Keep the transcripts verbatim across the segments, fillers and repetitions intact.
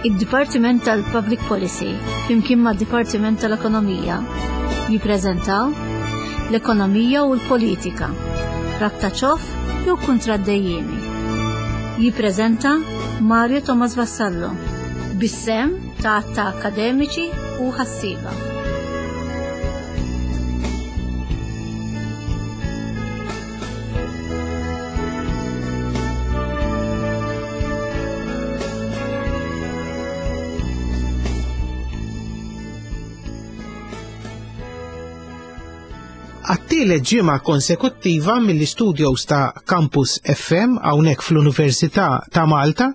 Id-Dipartiment tal-Public Policy flimkien mad-Dipartiment tal-Ekonomija jippreżentaw l-ekonomija u l-politika, rabta ċoff jew kuntratt dejjiemi. Jippreżenta Mario Thomas Vassallo bis-sehem ta' ta' akademiċi u ħassieba. Għat-tielet ġimgħa konsekuttiva mill-istudios ta' Campus F M hawnhekk fl-Università ta' Malta,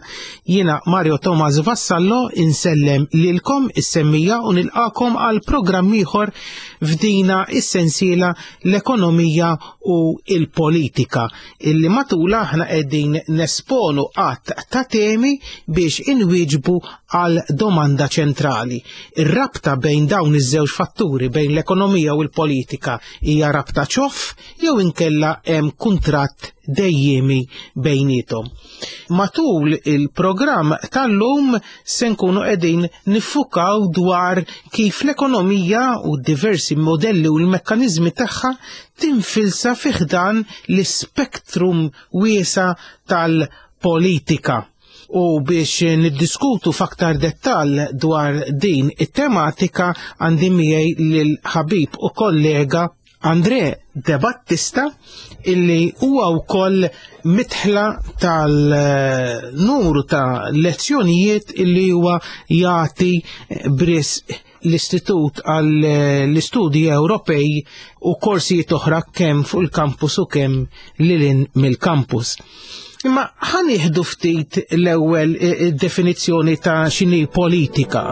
jiena Mario Thomas Vassallo insellem lilkom is-semmija u nilqakom għal programm ieħor f'dina is-sensiela l-ekonomija u l-politika, illi matula aħna qegħdin nesponu għadd ta' temi biex inwieġbu għal domanda ċentrali. Ir-rabta bejn dawn iż-żewġ fatturi, bejn l-ekonomija u l-politika, hija rabta ċoff jew inkella hemm kuntratt dejjemi bejnietom. Matul il-programm tal-lum se nkunu qegħdin niffukaw dwar kif l-ekonomija u diversi modelli u l-mekkaniżmi tagħha tinfilsa fi ħdan l-ispektrum wiesa' tal-politika. U biex niddiskutu f'aktar dettall dwar din it-tematika għandi miegħi lil ħabib u kollega André De Battista, illi huwa wkoll mitħla tal-numru ta' lezzjonijiet illi huwa jagħti bris l-Istitut għall-Istudji Ewropej u korsijiet oħra kemm fuq il-kampus u kemm lilin mill-kampus. Imma ħa nieħdu ftit l-ewwel definizzjoni ta' x'inhi politika.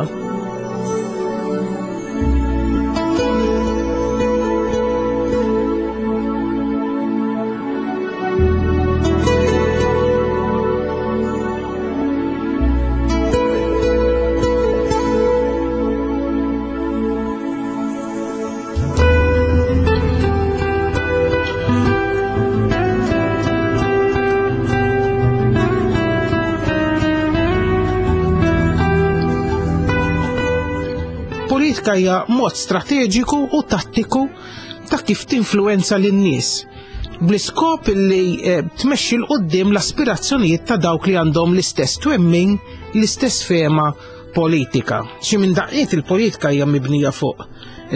Politika hija mod strateġiku u tattiku ta' kif tinfluwenza lin-nies bl-iskop li tmexxi 'l quddiem l-aspirazzjonijiet ta' dawk li għandhom l-istess twemmin, l-istess fehma politika. Xi minn daqqiet il-politika hija mibnija fuq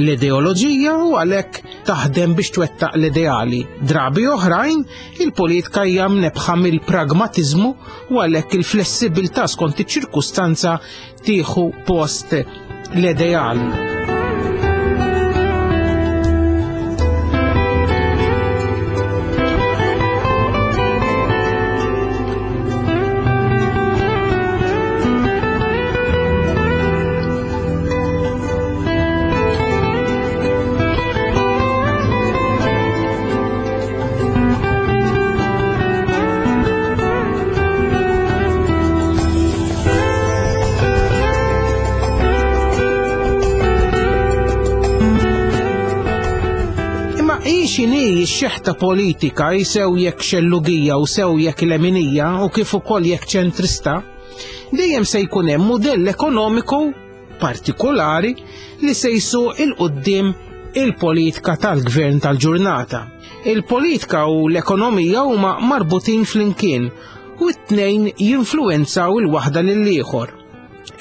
l-ideoloġija u għalhekk taħdem biex twettaq l-ideali. Drabi oħrajn il-politika hija mnebħa mill-pragmatiżmu u għalhekk il-flessibilità skont iċ-ċirkustanza tieħu post l-ideali. X'inhi x-xeħta politika jsew jekk xellugija u sew jekk leminija u kif ukoll jekk ċentrista, dejjem se jkun hemm mudell ekonomiku partikolari li se jsuq il quddiem il-politika tal-gvern tal-ġurnata. Il-politika u l-ekonomija huma marbutin flimkien u t-tnejn jinfluwenzaw il-waħda lill-ieħor.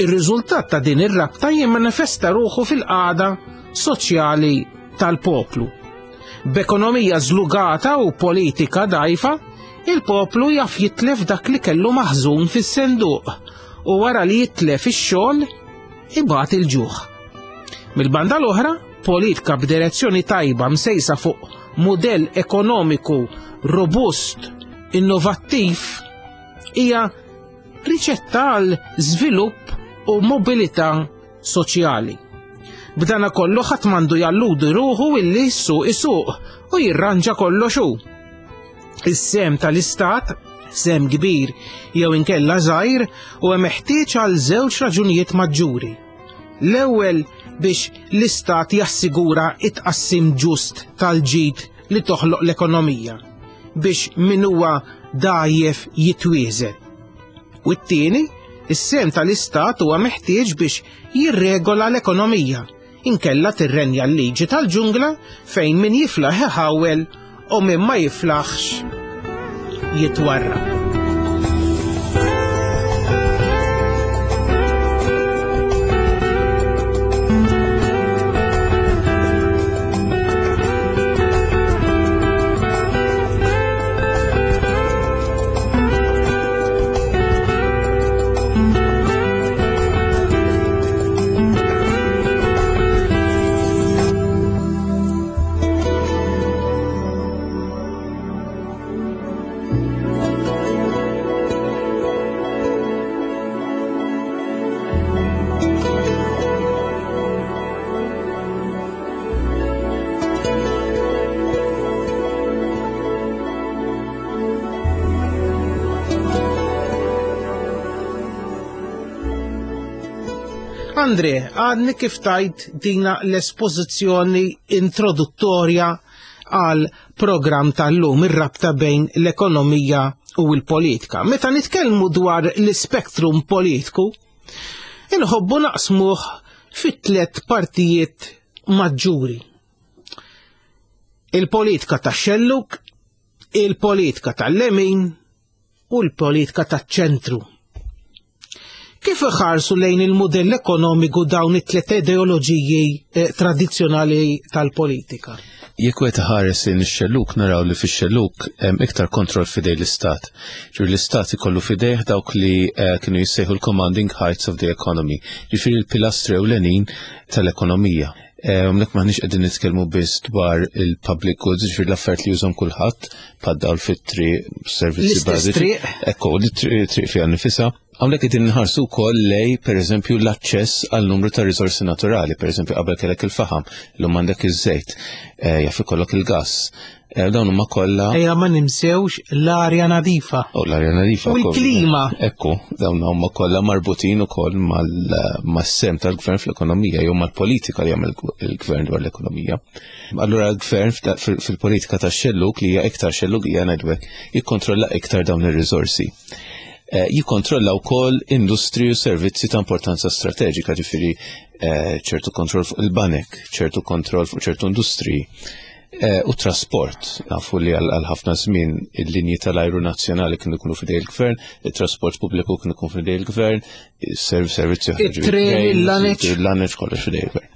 Ir-riżultat ta' din ir-rabta jimmanifesta ruħu fil-qagħda soċjali tal-poplu. B'ekonomija żlugata u politika dgħajfa, il-poplu jaf jitlef dak li kellu maħżun fis-senduq u wara li jitlef ix-xogħol ibgħat il-ġuħ. Mill-banda l-oħra, politika b'direzzjoni tajba msejsa fuq mudell ekonomiku robust, innovattiv, hija riċetta għal żvilupp u mobilità soċjali. B'dana kollu ħadd m'għandu jalludi ruħu illi s-suq isuq u jirranġa kollox hu. Is-sem tal-istat, sem kbir jew inkella żgħir, huwa meħtieġ għal żewġ raġunijiet maġġuri. L-ewwel biex l-istat jassigura it-tqassim ġust tal-ġid li toħloq l-ekonomija biex min huwa dgħajjef jitwieżen. U t-tieni Is-sehem tal-Istat huwa meħtieġ biex jirregola l-ekonomija, inkella tirrenja l-liġi tal-ġungla fejn min jiflaħ iħawel u min ma jiflaħx jitwarrab. Andre, għadni kif tajt dina l-espożizzjoni introduttorja għal program tal-lum, ir-rabta bejn l-ekonomija u l-politika. Meta nitkellmu dwar l-spektrum politiku, inħobbu naqsmuh fit tliet partijiet maġġuri. Il-politika tax-xellug, il-politika tal-lemin u l-politika taċ-ċentru. Kif iħarsu lejn il-modell ekonomiku dawn it-tliet ideoloġiji eh, tradizzjonali tal-politika? Jekk wieħed iħares lejn ix-xellug naraw li fix-xellug hemm iktar kontroll f'idej l-istat. Ġifieri l-istat ikollu f'idejh dawk li eh, kienu jissejħu l-commanding heights of the economy, ġifieri l-pilastri ewlenin tal-ekonomija. Hawnhekk m'aħniex qegħdin nitkellmu biss dwar il-public goods, ġifieri l-affarijiet li jużhom kulħadd, bħad-dawl fit-triq, servizzi L-istess bażiċi. triq. Ekku, li triq triq fiha nifisha. Hawnhekk qegħdin nħarsu wkoll lej pereżempju l-aċċess għal numru ta' riżorsi naturali, pereżempju qabel kellek il-faħam, illum għandek iż-żejt, eh, jaf ikollok il-gass. Eh, Dawn huma kollha Ejja ma nimsewx l-arja nadifa. U l-arja nadifa. U wkoll. l-klima. Ekku, dawn huma kollha marbutin ukoll mal- mas-sem tal-gvern fl-ekonomija jew mal-politika li jagħmel il-gvern dwar l-ekonomija. Allura l-gvern f'da- fil- fil-politika tax-xellug li hija iktar xellug hija ngħidlek jikkontrolla iktar dawn ir-riżorsi. Eh, Jikkontrolla wkoll industri u servizzi ta' importanza strateġika, ġifieri eh, ċertu kontroll fuq il-banek, ċertu kontroll fuq ċertu industriji. Eh, U trasport, nafu li għal għal ħafna żmien il-linji tal-ajru nazzjonali kienu jkunu f'idej il-gvern, il-trasport pubbliku kienu jkun f'idej il-gvern, il-serv servizzi oħra, ġifieri It-tren, train, il-laneċ. il-laneċ kollox f'idej il-gvern.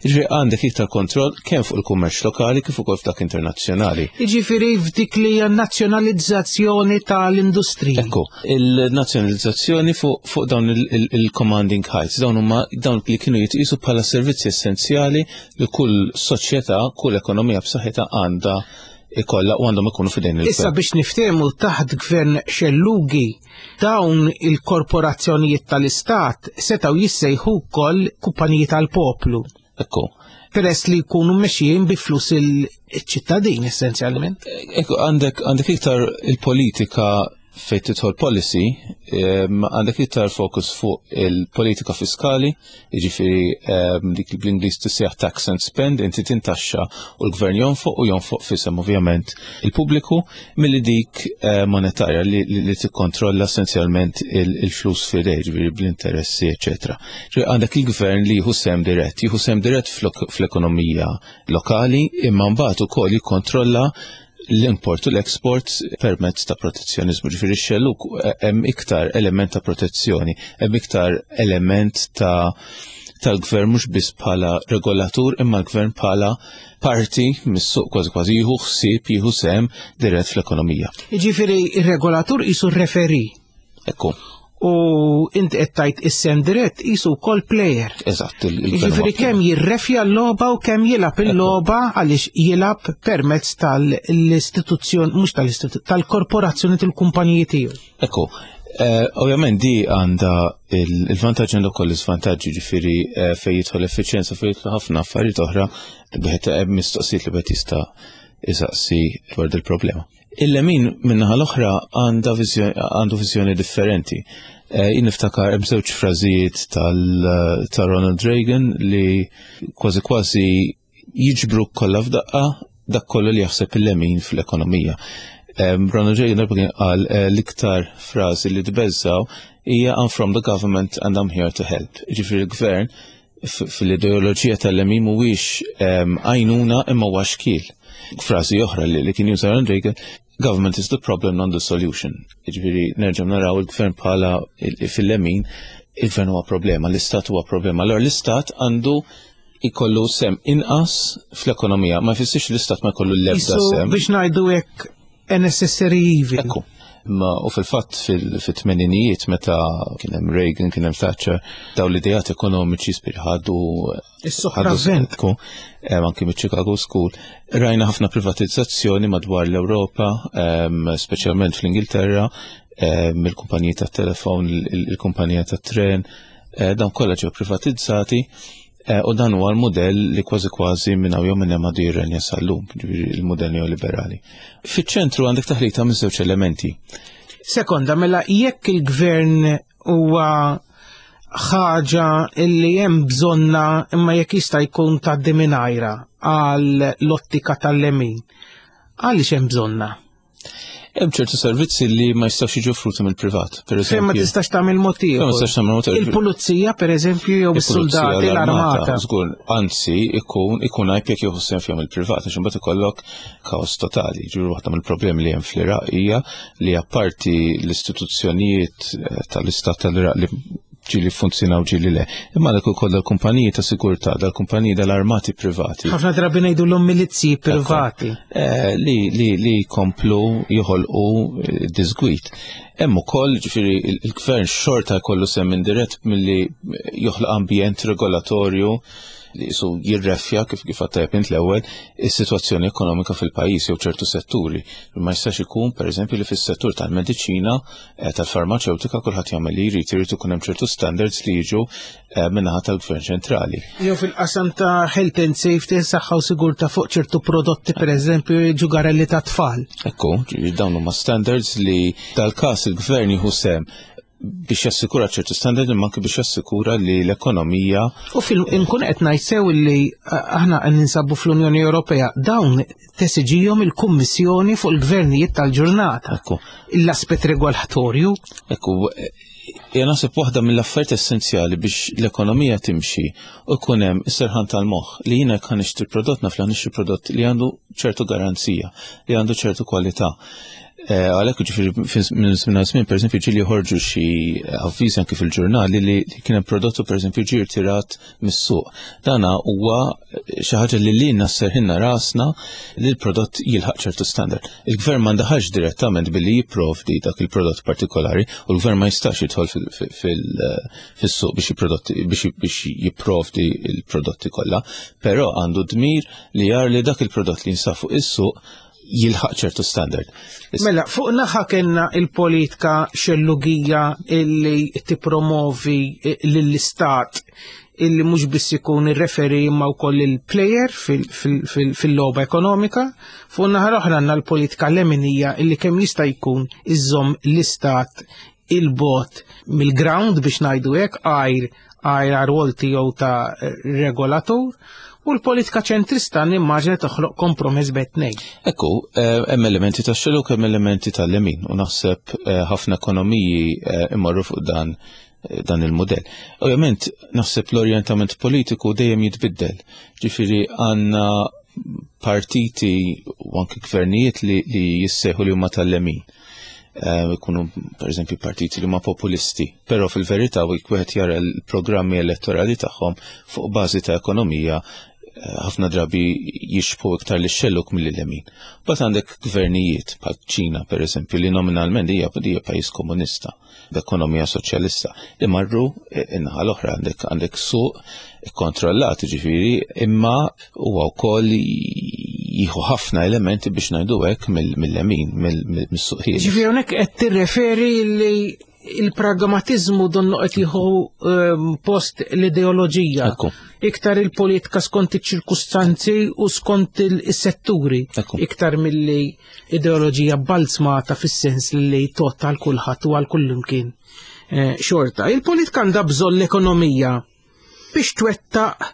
Ġifieri għandek iktar kontroll kemm fuq il-kummerċ lokali kif ukoll f'dak internazzjonali. Jiġifieri f'dik li hija nazzjonalizzazzjoni tal-industriji. Ekku, il-nazzjonalizzazzjoni fuq fuq dawn il- il- il-commanding heights, dawn huma dawn li kienu jitqisu bħala servizzi essenzjali li kull soċjetà, kull ekonomija b'saħħitha għandha ikollha u għandhom ikunu f'idejn Issa il-gvern. biex niftehmu taħt gvern xellugi dawn il-korporazzjonijiet tal-istat setgħu jissejħu wkoll kumpaniji tal-poplu. Ekku. Peress li jkunu mexjin bi flus il-ċittadin essenzjalment. Ekku, għandek għandek iktar il-politika fejn tidħol policy, em, għandek iktar fokus fuq il-politika fiskali, jiġifieri em, dik li bl-Ingliż tissejjaħ tax and spend, inti tintaxxa u l-gvern jonfoq u jonfoq fisem ovvjament il-pubbliku, milli dik eh, monetarja li, li, li tikkontrolla essenzjalment il- il-flus f'idej, ġifieri bl-interessi, eċetera. Ġifieri għandek il-gvern li jieħu sehem dirett, jieħu sehem dirett fl- fl-ekonomija lokali, imma mbagħad ukoll jikkontrolla l-import u l-export permezz ta' protezzjonizmu. Ġifieri x-xellug hemm iktar element ta' protezzjoni, hemm iktar element ta' tal-gvern mhux biss bħala regolatur imma l-gvern bħala parti mis-suq kważi kważi jieħu ħsieb, jieħu sehem dirett fl-ekonomija. Jiġifieri ir-regolatur qisu referi Ekku, u inti qed tajt is-sem dirett qisu wkoll player. eżatt, il- il-gvern Jiġifieri huwa kemm jirrefja l-logħba u kemm jilgħab il-logħba għaliex jilgħab permezz tal-istituzzjoni, mhux tal-istituzzjoni, tal-korporazzjoni tal-kumpaniji tiegħu. Ekku, eh, ovvjament di għandha il- il-vantaġġi għandha wkoll l-iżvantaġġi, ġifieri eh, fejn jidħol effiċjenza, fejn jidħol ħafna affarijiet oħra li wieħed hemm mistoqsijiet li wieħed jista' isaqsi dwar dil-problema. Il-lemin min-naħa l-oħra għandha viżjoni għandu viżjoni differenti. Eh, Jien niftakar hemm żewġ frażijiet tal ta' Ronald Reagan li kważi kważi jiġbru kollha f'daqqa dak kollu li jaħseb il-lemin fl-ekonomija. Ronald Reagan darba kien qal l-iktar frażi li tbeżżaw hija "I'm from the government and I'm here to help." Ġifieri l-gvern fil-ideoloġija tal-lemin mhuwiex għajnuna imma huwa xkiel. Frażi oħra li kien juża Ronald Reagan, "Government is the problem, not the solution." Ġifieri nerġa' naraw il-gvern bħala fil-lemin, il-gvern huwa problema, l-istat huwa problema. Allora l-istat għandu ikollu sehem inqas fl-ekonomija, ma jfissirx l-istat ma jkollu l-ebda sehem. Biex ngħidu hekk, a necessary evil. Ekku. Ma u fil-fatt fil-tmeninijiet meta kien hemm Reagan, kien hemm Thatcher, daw l-idejat ekonomiċi spir ħadu Is-sopravvent. Anki mit-Chicago School. Rajna ħafna privatizzazzjoni madwar l-Ewropa, speċjalment fl-Ingilterra, mill-kumpaniji tat-telefon, il-kumpanija tat-tren, dawn kollha ġew privatizzati. U dan huwa l-modell li kważi kważi minn hawn jew minn hemm għadu jirrenja sal-lum, il-modell neoliberali. Fiċ-ċentru għandek taħlita minn żewġ elementi. Sekonda, mela jekk il-gvern huwa ħaġa illi hemm bżonna imma jekk jista' jkun tgħaddi mingħajra għal l-ottika tal-lemin, għaliex hemm bżonna? Hemm ċertu servizzi li ma jistax jiġu offruti mill-privat. Per Fejn ma eżempju, tistax tagħmel mod Fejn ma ieħor. tistax tagħmel mod ieħor. Il-pulizija, per eżempju, jew is-soldati, l-armata. Żgur, anzi, ikun ikun għajb jekk jieħu sehem fihom il-privat, għax imbagħad ikollok kaos totali. Ġifieri waħda mill-problemi li hemm fl-Iraq hija li apparti l-istituzzjonijiet eh, tal-istat tal-Iraq li ġieli funzjonaw, ġieli le. Imma dak ukoll dal-kumpaniji ta' sigurtà, dal-kumpaniji dal-armati privati. Ħafna drabi ngħidu l milizzi privati. Eh, li li li komplu joħolqu eh, disgwit. Hemm ukoll, ġifieri, il-gvern xorta jkollu sehem indirett milli joħloq ambjent regolatorju li su jirrefja, kif kif għattajb int l-ewwel, is-sitwazzjoni ekonomika fil-pajjiż jew ċertu setturi. Ma jistax ikun, pereżempju, li fis-settur tal-mediċina, eh, tal-farmaċewtika, kulħadd jagħmel li jrid. Irid ikun hemm ċertu standards li jiġu eh, min-naħa tal-gvern ċentrali. Jew fil-qasam ta' health and safety, saħħa u sigurtà fuq ċertu prodotti, per eżempju, ġugarelli ta' tfal. Ekku, ġifieri dawn huma standards li dal-każ il-gvern jieħu sehem biex jassikura ċertu standard imma anke biex jassikura li l-ekonomija U fil nkun qed ngħid sew li eh, aħna qed ninsabu fl-Unjoni Ewropea, dawn tesiġihom il-Kummissjoni fuq il-gvernijiet tal-ġurnata. Ekku. L-aspett regolatorju. Ekku, jena naħseb waħda mill-affarijiet essenzjali biex l-ekonomija timxi u jkun hemm is-serħan tal-moħħ li jiena jekk nixtri prodott naf li nixtri prodott li għandu ċertu garanzija, li għandu ċertu kwalità. Eh, Għalhekk ġifieri minn żmien għal żmien, pereżempju, ġieli joħorġu xi avviżi anke fil-ġurnali li li kien hemm prodottu, pereżempju, ġie rtirat mis-suq. Dana huwa xi ħaġa li lilna sserrħilna rasna li l-prodott jilħaq ċertu standard. Il-gvern ma ndaħalx direttament billi jipprovdi dak il-prodott partikolari u l-gvern ma jistax jidħol fil- fil- fil- fis-suq biex jiprodotti biex biex jipprovdi il-prodotti kollha, però għandu dmir li jar li dak il-prodott li jinsab fuq is-suq jilħaq ċertu standard. Mela, fuq naħa kellna il-politika xellugija illi tippromovi lill-istat illi mhux biss ikun ir-referee imma wkoll il-player fil-logħba ekonomika. Fuq naħa l-oħra għandna l-politika leminija illi kemm jista' jkun iżomm l-istat il-bogħod mill-ground, biex ngħidu hekk, għajr għajr għar-rwol tiegħu ta' regolatur, u l-politika ċentrista nimmaġina toħloq kompromess bejn it-tnejn. Ekku, eh, hemm elementi ta' xellug, hemm elementi tal-lemin u naħseb eh, ħafna ekonomiji eh, imorru fuq dan dan il-modell. Ovvjament, naħseb l-orjentament politiku dejjem jitbiddel. Ġifieri għandna partiti u anki gvernijiet li, li jissejħu li huma tal-lemin. Ikunu, per eżempju, partiti li huma populisti, però fil-verità wieħed jara l-programmi elettorali tagħhom fuq bażi ta' ekonomija, ħafna drabi jixbhu iktar lix-xellug mill-lemin. Bat għandek gvernijiet bħal Ċina, per eżempju, li nominalment hija hija pajjiż komunista, b'ekonomija soċjalista, li marru in-naħa l-oħra, għandek għandek suq kontrollat, ġifieri, imma huwa wkoll jieħu ħafna elementi, biex ngħidu hekk, mill-lemin, mis-suq ħieles. Ġifieri hawnhekk qed tirreferi li il-pragmatizmu donnu qed jieħu ehm, post l-ideoloġija. Ekku. Iktar il-politika skont iċ-ċirkustanzi u skont il-setturi. Ekku. Iktar milli ideoloġija balzmata fis-sens li tgħodd għal kulħadd u għal kullimkien. Eh, xorta, il-politika għandha bżonn l-ekonomija biex twettaq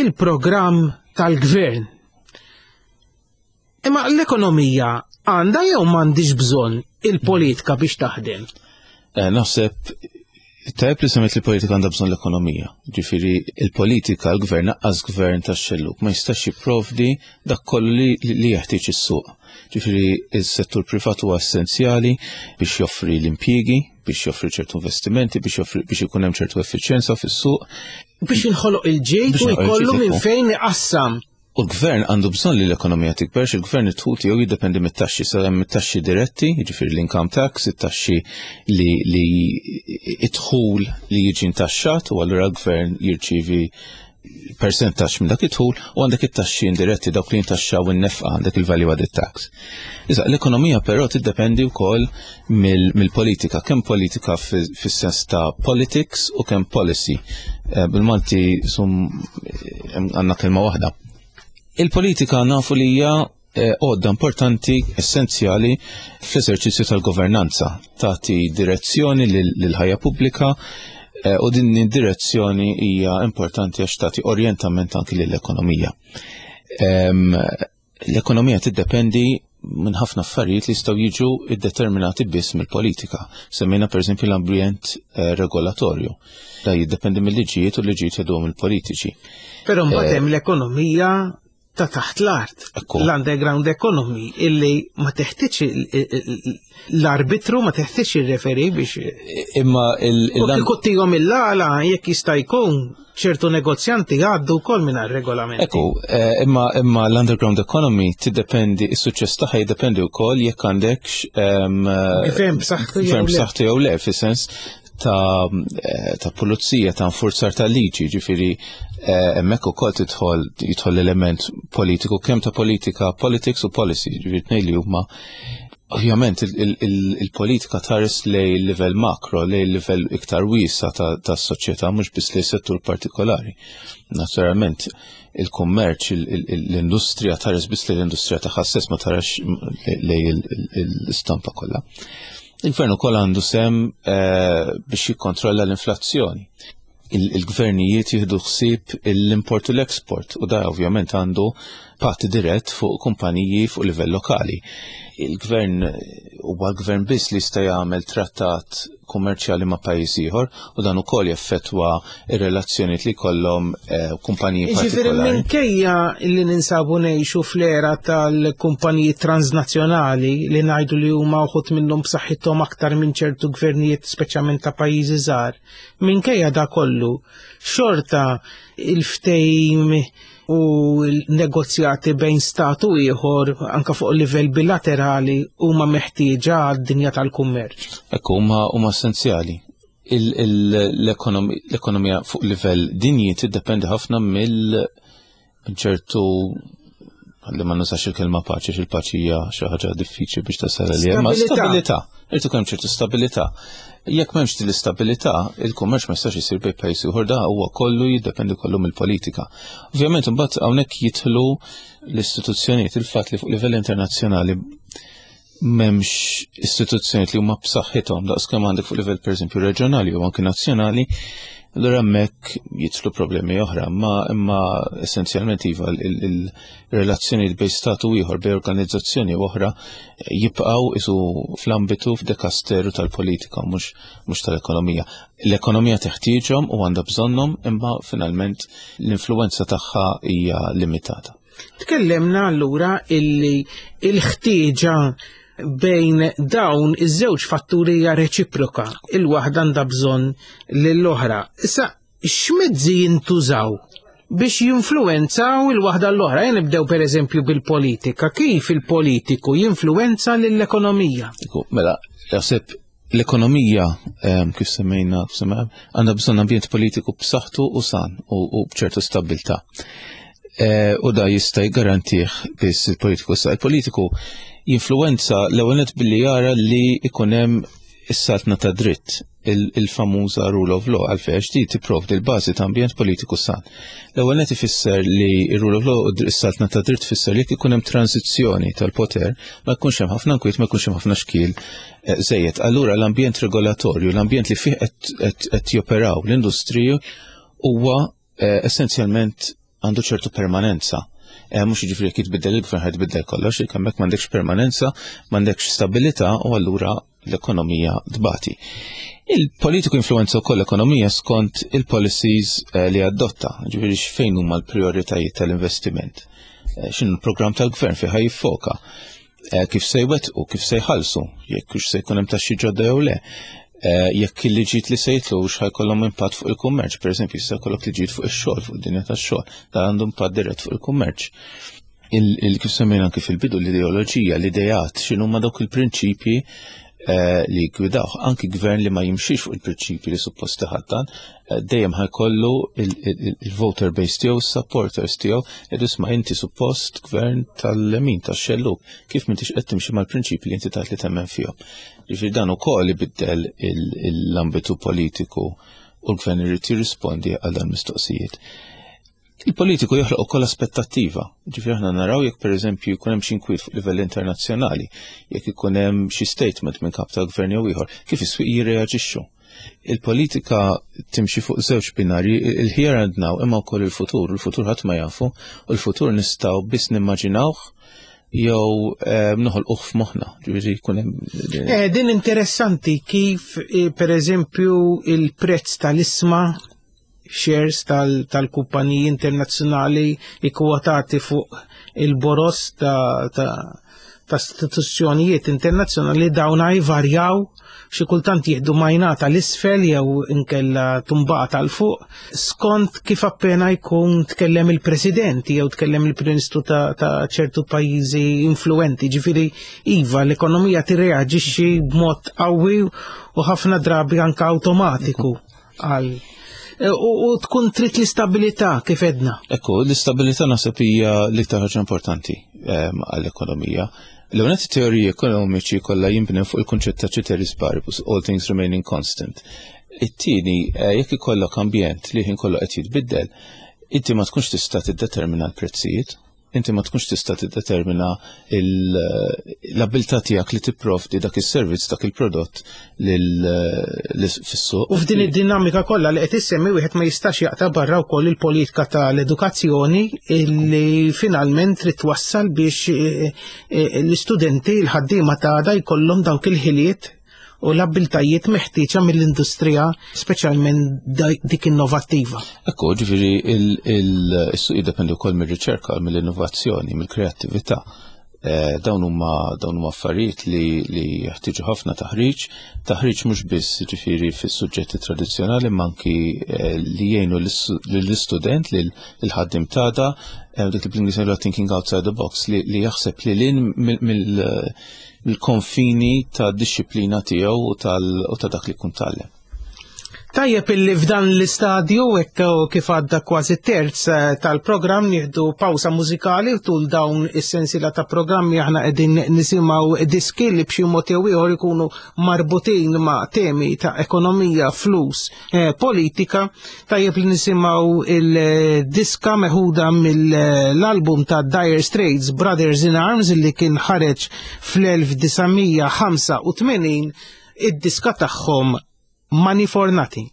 il-programm tal-gvern. Imma l-ekonomija Għandha jew m'għandix bżonn il-politika biex taħdem? Eh, naħseb tajjeb li semmejt li politika għandha bżonn l-ekonomija. Ġifieri il-politika, l-gvern, naqqas gvern tax-xellug ma jistax jipprovdi dak kollu li, li jeħtieġ is-suq. Ġifieri is-settur privat huwa essenzjali biex joffri l-impjiegi, biex joffri ċertu investimenti, biex joffri biex ikun hemm ċertu effiċjenza fis-suq. Biex jinħoloq il-ġid Biex u jinħoloq il-ġid, jkollu minn ekku. fejn iqassam. U l-gvern għandu bżonn li l-ekonomija tikber, il-gvern id-dħul tiegħu jiddependi mit-taxxi, sa hemm it-taxxi diretti, jiġifieri l-income tax, it-taxxi li li id-dħul li jiġi ntaxxat u allura l-gvern jirċievi percentaġġ minn dak id-dħul u għandek it-taxxi indiretti, dawk li jintaxxaw in-nefqa, għandek il-value added tax. Issa l-ekonomija però tiddependi wkoll mill- mill-politika, kemm politika fi- fis-sens ta' politics u kemm policy. Eh, Bil-Malti sum eh, għandna kelma waħda. Il-politika nafu li hija eh, għodda importanti, essenzjali fl-eżerċizzju tal-governanza, tagħti direzzjoni lil- lill-ħajja pubblika eh, u din id-direzzjoni hija importanti għax tagħti orjentament anki lill-ekonomija. Em, L-ekonomija tiddependi minn ħafna affarijiet li jistgħu jiġu iddeterminati biss mill-politika. Semmejna pereżempju l-ambjent eh, regolatorju. Da jiddependi mill-liġijiet u l-liġijiet jgħiduhom il-politiċi. Però mbagħad hemm l-ekonomija ta' taħt l-art, Ekku. l-underground economy, illi ma teħtieġ il- il- il- l-arbitru, ma teħtieġ il-referee biex. Imma il- U il kieku tihom il-għala, jekk jista' jkun, ċertu negozjanti għaddu wkoll mingħajr regolamenti. Ekku, eh, imma imma l-underground economy tiddependi, is-suċċess tagħha jiddependi wkoll jekk għandekx em, Gvern b'saħħtu jew gvern le. b'saħħtu jew le, fis-sens ta' eh, ta' pulizija, ta' nfurzar ta' liġi, ġifieri eh, hemmhekk ukoll tidħol jidħol l-element politiku, kemm ta' politika, politics u policy, ġifieri tnejn li huma. Ovvjament il- il- il- il-politika tħares lejn livell makro, lejn livell iktar wiesa ta' ta' soċjetà, mhux biss lejn settur partikolari. Naturalment, il-kummerċ, il- il- l-industrija tħares biss lejn l-industrija tagħha stess, ma tarax lejn il- il- l-istampa kollha. Il-gvern ukoll għandu sehem eh, biex jikkontrolla l-inflazzjoni. Il- Il-gvernijiet jieħdu ħsieb l-import u l-export u da ovvjament għandu impatt dirett fuq kumpaniji fuq livell lokali. Il-gvern huwa l-gvern biss li jista' jagħmel trattat kummerċjali ma' pajjiż ieħor u dan ukoll jeffettwa ir-relazzjonijiet li jkollhom eh, kumpaniji Ġifieri partikolari. minkejja li ninsabu ngħixu fl-era tal-kumpaniji transnazzjonali li ngħidu li huma uħud minnhom b'saħħithom aktar minn ċertu gvernijiet, speċjalment ta' pajjiżi żgħar, minkejja da kollu, xorta il-ftehim u l-negozjati bejn stat u ieħor anka fuq livell bilaterali huma meħtieġa għad-dinja tal-kummerċ. Ekku, huma huma essenzjali. Il- il- L-ekonomi- L-ekonomija fuq livell dinji tiddependi ħafna mill minn ċertu, għalli ma nużax il-kelma paċi, għax il-paċi hija xi ħaġa diffiċli biex tasal għalija, ma Stabilità. stabilità. Irid ikun hemm ċertu stabilità. Jekk m'hemmx din l-istabilità, il-kummerċ ma jistax isir bejn pajjiż ieħor, da huwa kollu jiddependi kollu mill-politika. Ovvjament imbagħad hawnhekk jidħlu l-istituzzjonijiet, il-fatt li fuq livell internazzjonali m'hemmx istituzzjonijiet li huma b'saħħithom daqs kemm għandek fuq livell pereżempju reġjonali u anke nazzjonali, allura hemmhekk jidħlu problemi oħra, imma imma essenzjalment iva il-relazzjonijiet bejn stat u ieħor, bejn organizzazzjoni u oħra, jibqgħu isu fl-ambitu f'dekasteru tal-politika, mhux mhux tal-ekonomija. L-ekonomija teħtieġhom u għandha bżonnhom, imma finalment l-influenza tagħha hija limitata. Tkellimna allura illi il-ħtieġa bejn dawn iż-żewġ fatturi hija reċiproka, il-waħda għandha bżonn lill-oħra. Issa, x'mezzi jintużaw biex jinfluwenzaw il-waħda l-oħra? Jien nibdew pereżempju bil-politika. Kif il-politiku jinfluwenza lill-ekonomija? Ekku, mela, jaħseb l-ekonomija, em, kif semmejna, semmejna, għandha bżonn ambjent politiku b'saħħtu u san u, u b'ċertu stabbiltà. Eh, u da jista' jgarantih biss il-politiku. Sa il-politiku jinfluwenza l-ewwel nett billi jara li ikun hemm is-saltna ta' dritt, il- il-famuża rule of law, għalfejn għax di tipprovdi l-bażi ta' ambjent politiku san. L-ewwel nett ifisser li r-rule of law u s-saltna ta' dritt tfisser li jekk ikun hemm tranzizzjoni tal-poter ma jkunx hemm ħafna nkwiet, ma jkunx hemm ħafna xkiel eh, żejjed. Allura l-ambjent regolatorju, l-ambjent li fih qed- qed qed joperaw l-industriji huwa eh, essenzjalment għandu ċertu permanenza. Mhux jiġifieri jekk jitbiddel il-gvern ħa jitbiddel kollox, jekk hemmhekk m'għandekx permanenza, m'għandekx stabilità u allura l-ekonomija tbati. Il-politiku influenza wkoll l-ekonomija skont il-policies li adotta, ġifieri x'fejn huma l-prijoritajiet tal-investiment. X'inhu l-programm tal-gvern fejn ħa jiffoka, kif se jwettqu, kif se jħallsu, jekk hux se jkun hemm taxxi ġodda jew le. Jekk il-liġijiet li se jitlu hux ħa jkollhom impatt fuq il-kummerċ, pereżempju jista' jkollok liġijiet fuq ix-xogħol, fuq id-dinja tax-xogħol, dan għandu impatt dirett fuq il-kummerċ. Kif semmejna anke fil-bidu l-ideoloġija, l-idejat, x'inhuma dawk il-prinċipji li jgwidawh. Anki gvern li ma jimxix fuq il-prinċipji li suppost iħaddan, dejjem ħa jkollu il-voter base tiegħu, supporters tiegħu, jgħidu isma' inti suppost gvern tal-lemin, tax-xellug, kif m'intix qed timxi mal-prinċipji li inti tgħid li temmen fihom. Ġifieri dan ukoll ibiddel l-ambitu politiku u l-gvern irid jirrispondi għal dan mistoqsijiet. Il-politiku joħloq ukoll aspettattiva. Ġifieri aħna naraw jekk pereżempju jkun hemm xi inkwiet fuq livell internazzjonali, jekk ikun hemm xi statement minn kap tal-gvern jew ieħor, kif is-swieq jirreaġixxu. Il-politika timxi fuq żewġ binarji, il-here and now imma wkoll il-futur, il-futur ħadd ma jafu, u l-futur nistgħu biss nimmaġinawh jew noħolquh f'moħħna, ġifieri jkun hemm. Eh, din interessanti kif pereżempju il-prezz tal-isma shares tal-kumpaniji internazzjonali ikkwotati fuq il-boros ta' ta' istituzzjonijiet internazzjonali dawna jvarjaw, xi kultant jieħdu majnata l-isfel jew inkella tumbata l fuq skont kif appena jkun tkellem il-president jew tkellem il-prim ministru ta' ċertu pajjiżi influenti. Ġifieri iva l-ekonomija tirreaġixxi b'mod qawwi u ħafna drabi anke awtomatiku għal u tkun trid l-istabilità kif edna. Ekku, l-istabilità naħseb hija l-iktar ħaġa importanti għall-ekonomija. L-ewwel teoriji ekonomiċi kollha jinbnew fuq il-kunċett ta' ceteris paribus, all things remaining constant. It-tieni, jekk ikollok ambjent li ħin kollu qed jitbiddel, inti ma tkunx tista' tiddetermina l-prezzijiet, inti ma tkunx tista' tiddetermina l-abilità tiegħek li tipprovdi dak is-servizz, dak il-prodott fis-suq. U f'din id-dinamika kollha li qed issemmi wieħed ma jistax jaqta' barra wkoll il-politika tal-edukazzjoni li finalment trid twassal biex l-istudenti, l-ħaddiema ta' għada jkollhom dawk il-ħiliet u l-abbiltajiet meħtieġa mill-industrija, speċjalment dik innovattiva. Ekku, ġifieri is-suq jiddependi wkoll mir-riċerka, mill-innovazzjoni, mill-kreattività. Dawn huma dawn huma affarijiet li jeħtieġu ħafna taħriġ, taħriġ mhux biss ġifieri fis-suġġetti tradizzjonali, imma anki li jgħinu lill-istudent, lill-ħaddiem tagħda, dik li bl-Ingliż ngħidu thinking outside the box, li jaħseb lil hinn mill-konfini ta' disċiplina tiegħu u ta' dak li jkun tgħallem. Tajjeb illi f'dan l-istadju hekk kif għadda kważi terz tal-programm nieħdu pawsa mużikali u tul dawn is-sensiela ta' programmi aħna qegħdin nisimgħu diski li b'xi mod jew ieħor ikunu marbutin ma' temi ta' ekonomija, flus, politika. Tajjeb li nisimgħu il-diska meħuda mill-album ta' Dire Straits Brothers in Arms li kien ħareġ fl-elf disa' mija ħamsa u tmenin, id-diska tagħhom Money for Nothing.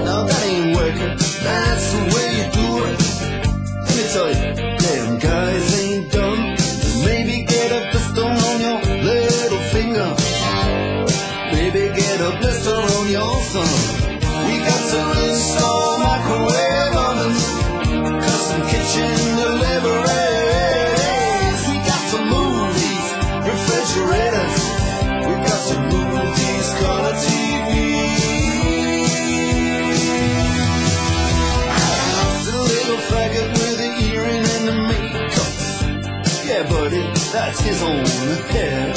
Now that ain't working, that's the way you do it. Tell you, damn guys ain't dumb. Maybe get a blister on your little finger. Maybe get a blister on your thumb. We got to install microwave ovens, custom kitchen deliveries. We got to move these refrigerators. We got to move these color T Vs. The little faggot with the earring and the makeup. Yeah, buddy, that's his own hair.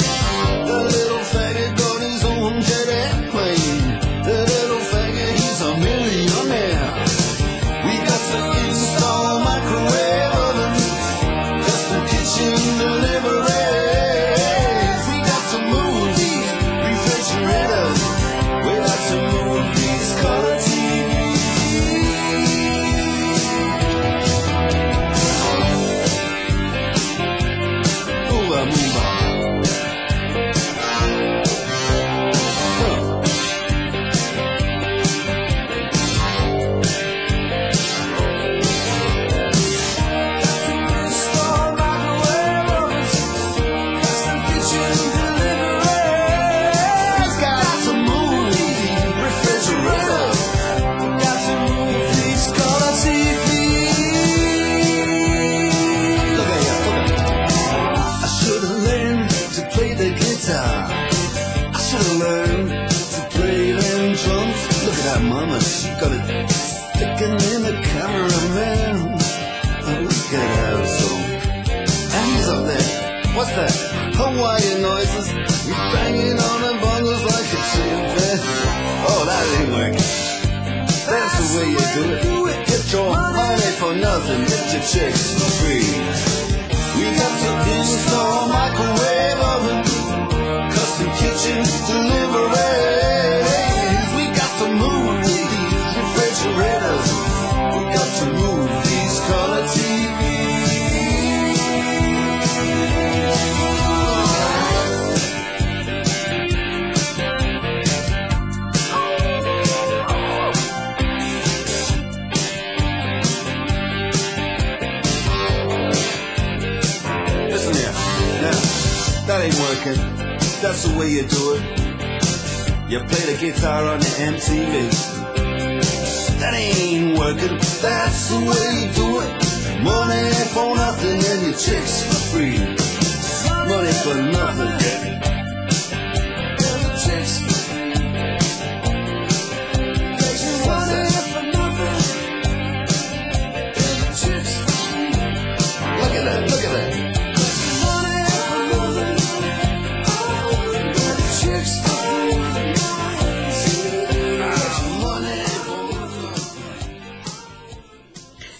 The little faggot got his own jet airplane. The little faggot, he's a millionaire. We got to install microwave ovens, custom kitchen deliveries. We got to move these refrigerators. We got to move these color T Vs. Move on, move on. Huh. Install microwave ovens, custom kitchen deliveries. Got to move these refrigerators. Got to move these color T Vs. Look at ya, look at ya. I should have learned to play the guitar. I should have learned to play them drums. Look at that mama, she got it sticking in the cameraman. Oh, look at her so. And he's up there. What's that? Hawaiian noises. He's banging on the bongos like a chimpanzee. Oh, that ain't working. That's the way you do it. Get your money for nothing. Get your chicks for free. We got to install microwave oven, custom kitchen deliveries. We got to move these refrigerators. We got to move these color T Vs. Listen here, now, that ain't working. That's the way you do it. You play the guitar on the M T V. That ain't working. That's the way you do it. Money for nothing and your chicks for free. Money for nothing. Chicks for free. Money for nothing. Chicks for free. Look at that, look at that. Money for nothing. Chicks for free. Money for nothing.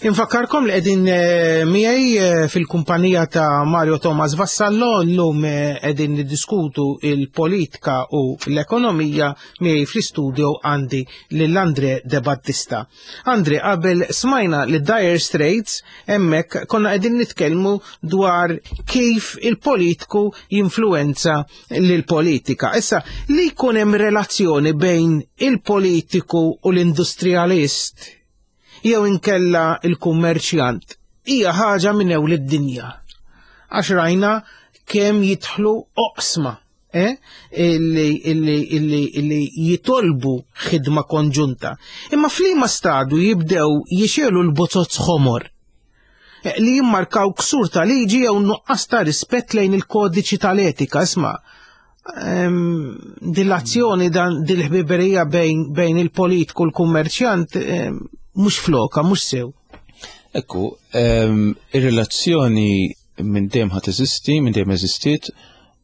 Infakkarkom li qegħdin eh, miegħi eh, fil-kumpanija ta' Mario Thomas Vassallo. Llum eh, qegħdin niddiskutu il-politika u l-ekonomija. Miegħi fl-istudio għandi lil Andre De Battista. Andre, qabel smajna li Dire Straits, hemmhekk konna qegħdin nitkellmu dwar kif il-politiku jinfluwenza lill-politika. Issa, li jkun hemm relazzjoni bejn il-politiku u l-industrialist jew inkella il-kummerċjant hija ħaġa minn ewl id-dinja. Għax rajna kemm jidħlu oqsma, eh? illi, illi, illi, illi jitolbu ħidma konġunta. Imma f'liema stadu jibdew jixelu l-bozozz ħomor eh, li jimmarkaw ksur ta' liġi jew nuqqas ta' rispett lejn il-kodiċi tal-etika. Isma', ehm, dil-azzjoni dan dil-ħbiberija bejn, bejn il-politiku u l-kummerċjant ehm, mhux floka, mhux sew. Ekku, ehm, ir-relazzjoni minn dejjem ħa teżisti, minn dejjem eżistiet,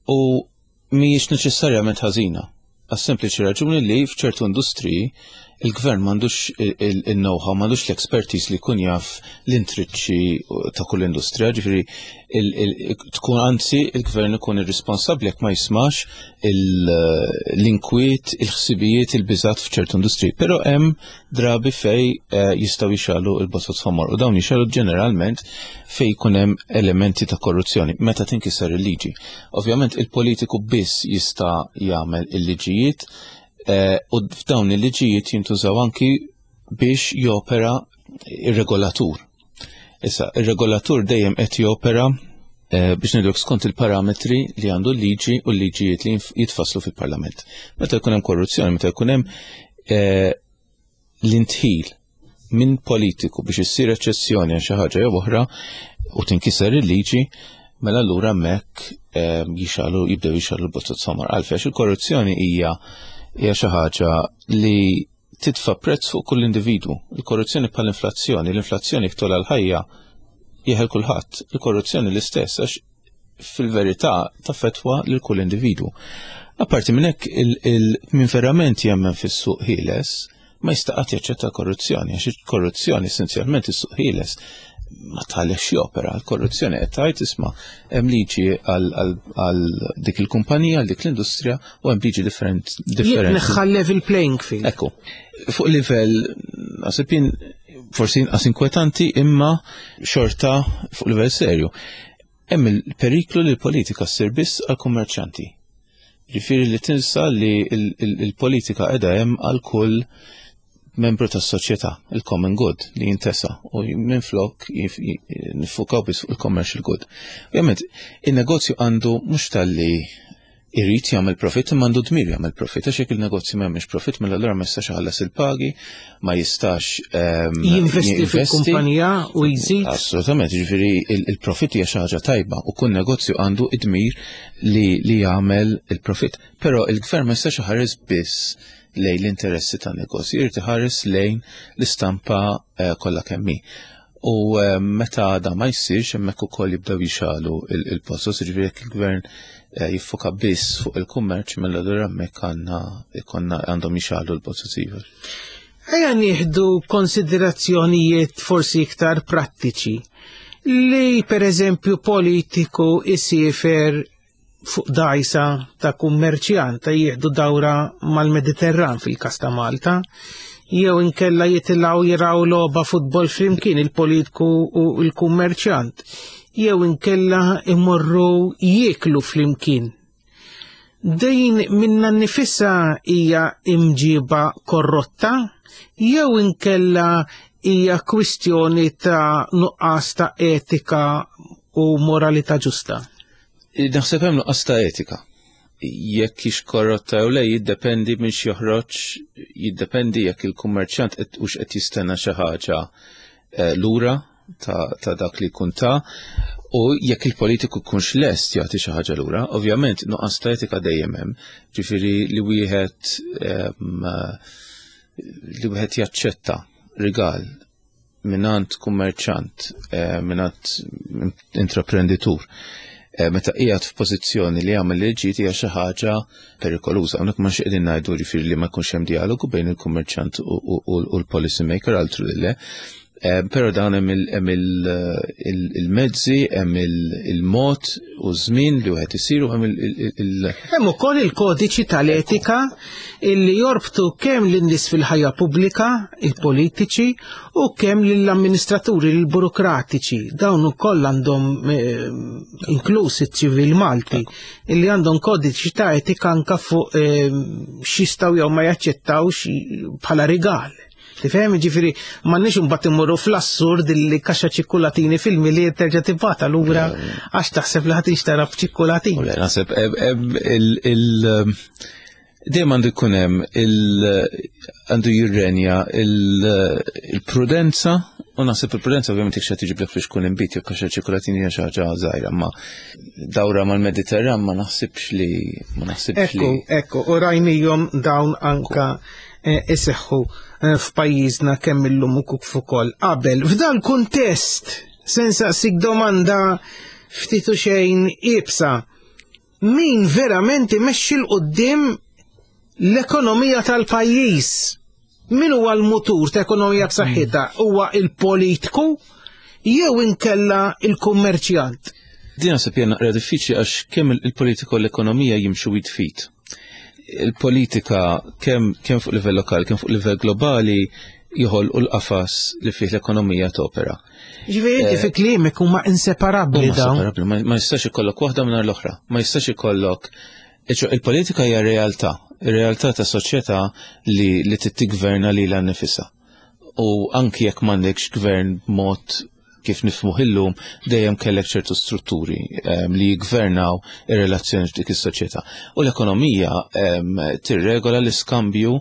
u mhijiex neċessarjament ħażina. Għas-sempliċi raġuni li f'ċertu industriji il-gvern m'għandux il-know-how, m'għandux l-expertise li jkun jaf l-intriċċi ta' kull industrija, ġifieri tkun anzi il-gvern ikun irresponsabbli jekk ma jismax l-inkwiet, il-ħsibijiet, il-biżat f'ċertu industriji. Però hemm drabi fej eh, jistgħu jixalu il-botot ħomor, u dawn jixalu ġeneralment fej jkun hemm elementi ta' korruzzjoni meta tinkiser il-liġi. Ovvjament il-politiku biss jista' jagħmel il-liġijiet, eh, u f'dawn il-liġijiet jintużaw anki biex jopera ir-regolatur. Issa, ir-regolatur dejjem qed jopera eh, biex ngħidlek skont il-parametri li għandu l-liġi u l-liġijiet li jitfasslu fil-Parlament. Meta jkun hemm korruzzjoni, meta jkun hemm eh, l-indħil minn politiku biex issir eċċezzjoni għal xi ħaġa jew oħra u tinkiser il-liġi, mela allura hemmhekk eh, jixgħelu jibdew jixgħelu l-bozoz ħomor. Għalfejn il-korruzzjoni hija hija xi ħaġa li titfa' prezz fuq kull individwu. Il-korruzzjoni bħal inflazzjoni, l-inflazzjoni jekk togħla l-ħajja jeħel kulħadd. Il-korruzzjoni l-istess għax fil-verità taffettwa lil kull individwu. Apparti minn hekk min verament jemmen fis-suq ħieles ma jista' qatt jaċċetta korruzzjoni għax il-korruzzjoni essenzjalment is-suq ħieles ma tħallix jopera. L-korruzzjoni qed tgħid isma' hemm liġi għal dik il-kumpanija, għal dik l-industrija u hemm liġi differenti. Jitneħħa level playing field. Ekku. Fuq livell naħseb jien forsi inqas inkwetanti imma xorta fuq livell serju. Hemm il-periklu li l-politika ssir biss għall-kummerċanti. Ġifieri li tinsa li l-politika qiegħda hemm għal kull membru tas-soċjetà, il-common good li jintesa u minflok nifukaw biss fuq il-commercial good. Ovvjament, il-negozju għandu mhux talli irid jagħmel profit imma għandu dmir jagħmel profit għax jekk il-negozju ma jagħmilx profit mela allura ma jistax iħallas il-pagi, ma jistax ehm, jinvesti fil-kumpanija u jżid. Assolutament, jiġifieri il-profit hija xi ħaġa tajba u kull negozju għandu id-dmir li, li jagħmel il-profit. Però il-gvern ma jistax iħares biss lejn l-interessi tan negozju, irid iħares lejn l-istampa eh, kollha kemm hi. U eh, meta da ma jsirx hemmhekk ukoll jibdew jixgħelu il-bozoz, jiġifieri jekk il-gvern eh, jiffoka biss fuq il-kummerċ mela allura hemmhekk għandna ikonna għandhom jixgħelu l-bozoz iva. Ejja nieħdu konsiderazzjonijiet forsi iktar prattiċi li per eżempju politiku isiefer fuq dgħajsa ta' kummerċjant ta' jieħdu dawra mal-Mediterran fil-kas ta' Malta, jew inkella jitilgħu jiraw logħba futbol flimkien il-politiku u l-kummerċjant, jew inkella imorru jieklu flimkien. Din minnha nnifisha hija imġiba korrotta, jew inkella hija kwistjoni ta' nuqqas ta' etika u moralità ġusta. Naħseb hemm nuqqas ta' etika. Jekk hix korrotta jew le jiddependi minn x'joħroġ, jiddependi jekk il-kummerċjant qed hux qed jistenna xi ħaġa eh, lura ta', ta dak li jkun ta' u jekk il-politiku jkunx lest jagħti xi ħaġa lura. Ovvjament nuqqas ta' etika dejjem hemm, ġifieri li wieħed ehm, li wieħed jaċċetta rigal mingħand kummerċant, eh, mingħand intraprenditur eh, meta qiegħed f'pożizzjoni li jagħmel liġi hija xi ħaġa perikoluża. Hawnhekk ma qegħdin ngħidu ġifieri li ma jkunx hemm dialogu bejn il-kummerċant u, u, u, u l-policy maker altru li le. Eh, Però dan hemm il- hemm il- il- il-mezzi, hemm il- il-mod u żmien li wieħed isir u hemm il- il- il- Hemm ukoll il-kodiċi tal-etika illi jorbtu kemm lin-nies fil-ħajja pubblika, il-politiċi, u kemm lill-amministraturi, lill-burokratiċi. Dawn ukoll għandhom eh, inkluż iċ-ċivil Malti, illi għandhom kodiċi ta' etika anka fuq eh, x'jistgħu jew ma jaċċettawx bħala rigal. Tifhem, ġifieri m'għandniex imbagħad immorru fl-assurd illi kaxxa ċikkulatini fil-Milied terġa' tibgħatha lura għax taħseb li ħadd jinxtara b'ċikkulatini. U le, naħseb em- em il- il- dejjem għandu jkun hemm il- għandu jirrenja il- il-prudenza u naħseb il-prudenza ovvjament jekk xi tiġiblek biex tkun inbid jew kaxxa ċikkulatini hija xi ħaġa żgħira, ma dawra mal-Mediterran ma naħsibx li ma naħsibx li Ekku, ekku, u rajnihom dawn anka eh, iseħħu eh, f'pajjiżna kemm illum u kif ukoll qabel. F'dan kuntest, se nsaqsik domanda ftit u xejn iebsa. Min verament imexxi 'l quddiem l-ekonomija tal-pajjiż? Min huwa l-mutur ta' ekonomija b'saħħitha? Huwa il-politiku jew inkella il-kummerċjant? Din naħseb hija naqra diffiċli għax kemm il-politika u l-ekonomija jimxu id f'id. Il-politika kemm kemm fuq livell lokali, kemm fuq livell globali joħolqu l-qafas li fih l-ekonomija topera. Ġifieri inti fi kliemek huma inseparabbli Huma dawn. separabbli, ma ma jistax ikollok waħda mingħajr l-oħra. Ma jistax ikollok Iċo, il-politika hija realtà, ir-realtà ta' soċjetà li li trid tiggverna lilha nnifisha. U anki jekk m'għandekx gvern b'mod kif nifhmuh illum, dejjem kellek ċertu strutturi um, li jgvernaw ir-relazzjoni f'dik is-soċjetà. U l-ekonomija um, tirregola l-iskambju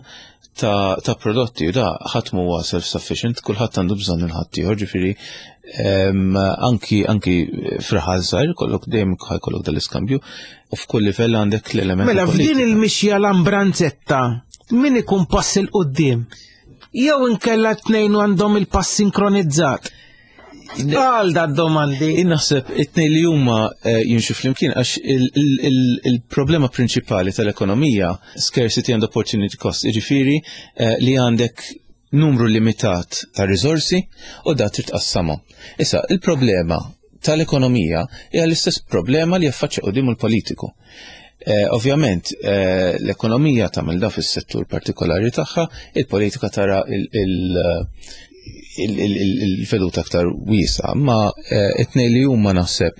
ta', ta' prodotti u da ħadd huwa self-sufficient, kulħadd għandu bżonn il-ħaddieħor, ġifieri um, anki anki f'raħal żgħir kollok dejjem ħajkollok dal-iskambju u f'kull livell għandek l-element. Mela f'din il-mixja l-ambranzetta min ikun pass 'il quddiem? Jew inkella tnejn għandhom il-pass sinkronizzat? Għal da domandi. Naħseb it-tnejn li huma eh, jimxu flimkien għax il-problema prinċipali tal-ekonomija, scarcity and opportunity cost, jiġifieri eh, li għandek numru limitat ta' risorsi u da trid tqassamhom. Issa, il-problema tal-ekonomija hija l-istess problema li jaffaċċja quddiem il-politiku. Eh, ovvjament, eh, l-ekonomija tagħmel da fis-settur partikolari tagħha, il-politika tara il-veduta aktar wiesgħa, ma eh, it-tnejn li huma naħseb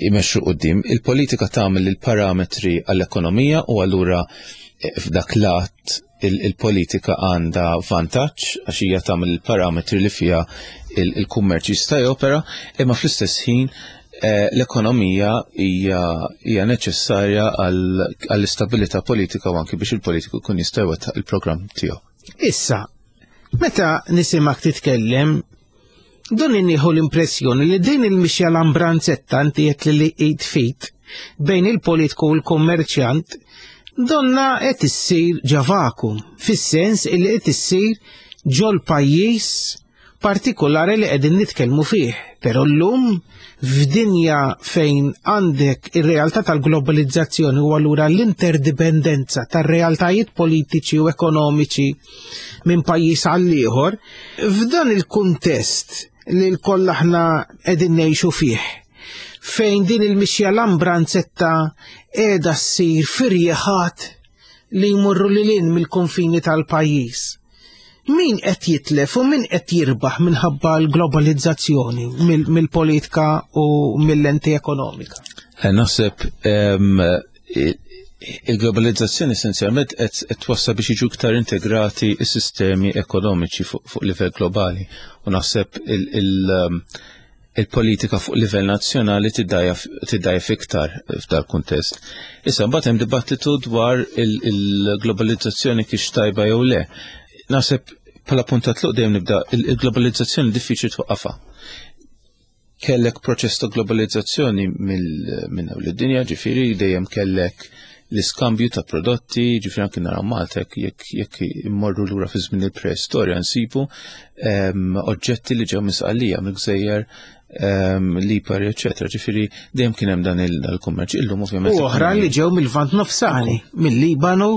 imexxu quddiem. Il-politika tagħmel il-parametri għall-ekonomija u allura eh, f'dak lat il-politika għandha vantaġġ għax hija tagħmel il-parametri li fiha il-kummerċ jista' jopera, imma fl-istess ħin eh, l-ekonomija hija neċessarja għall-istabilità politika u anki biex il-politiku jkun jista' jwettaq il-programm tiegħu. Issa, meta nisimak titkellem, don nieħu l-impressjoni li din il-mixja l-ambranzetta, inti qed li id fit bejn il-politiku u l-kummerċjant, donna qed issir ġo vacuum, fis-sens illi qed issir ġol pajjiż partikolari li qegħdin nitkellmu fih. Però llum f'dinja fejn għandek ir-realtà tal-globalizzazzjoni u allura l-interdipendenza tar-realtajiet politiċi u ekonomiċi minn pajjiż għal ieħor, f'dan il-kuntest li lkoll aħna qegħdin ngħixu fih, fejn din il-mixja l-ambranzetta qiegħda ssir firjeħat li jmorru lil hinn mill-konfini tal-pajjiż. Min qed jitlef u min qed jirbaħ minħabba l-globalizzazzjoni mill-politika u mill-lenti ekonomika? Eh, naħseb il-globalizzazzjoni essenzjalment qed twassal biex jiġu iktar integrati s-sistemi ekonomiċi fuq livell globali u naħseb il-politika fuq livell nazzjonali tiddgħajjef iktar f'dal kuntest. Issa mbagħad hemm dibattitu dwar il-globalizzazzjoni kif tajba jew le. Naħseb bħala punt ta' tluq dejjem nibda, il-globalizzazzjoni diffiċli twaqqafha. Kellek proċess ta' globalizzazzjoni minn hawn id-dinja, ġifieri dejjem kellek l-iskambju ta' prodotti, ġifieri anke naraw Malta jekk jekk immorru lura fi żmien il-preistorja nsibu oġġetti li ġew minn Sqallija, mill-gżejjer Lipari, eċetera. Ġifieri dejjem kien hemm dan il-kummerċ. Illum ovvjament. U oħra li ġew mill-Lvant Nofsani, mill-Libanu.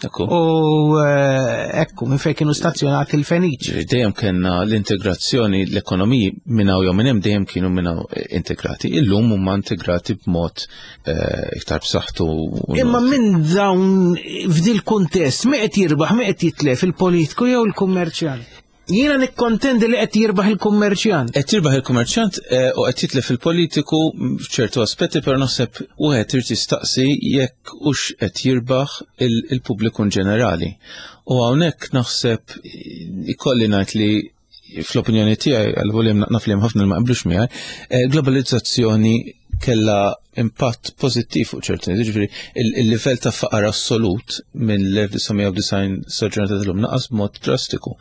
Ekku. U eh, ekku, minn fejn kienu stazzjonati l-Feniċi. Dejjem kellna l-integrazzjoni, l-ekonomiji minn hawn jew minn hemm dejjem kienu minn hawn integrati. Illum huma integrati b'mod eh, iktar b'saħħtu. Imma minn dawn f'dil kuntest, min qed jirbaħ, min qed jitlef, il-politiku jew il-kummerċjant? Jiena nikkontendi li qed jirbaħ il-kummerċjant. Qed jirbaħ il-kummerċjant eh, u qed jitlef il-politiku f'ċertu aspetti, però naħseb wieħed irid jistaqsi jekk hux qed jirbaħ il-pubbliku in ġenerali. U hawnhekk naħseb ikolli ngħid li fl-opinjoni tiegħi, għal naf li hemm ħafna li ma qblux miegħi, eh, globalizzazzjoni kella impatt pożittiv fuq ċertu nies, ġifieri il-livell ta' faqar assolut minn l-elf disa' mija u disgħin sa ġurnata tal-lum naqas b'mod drastiku.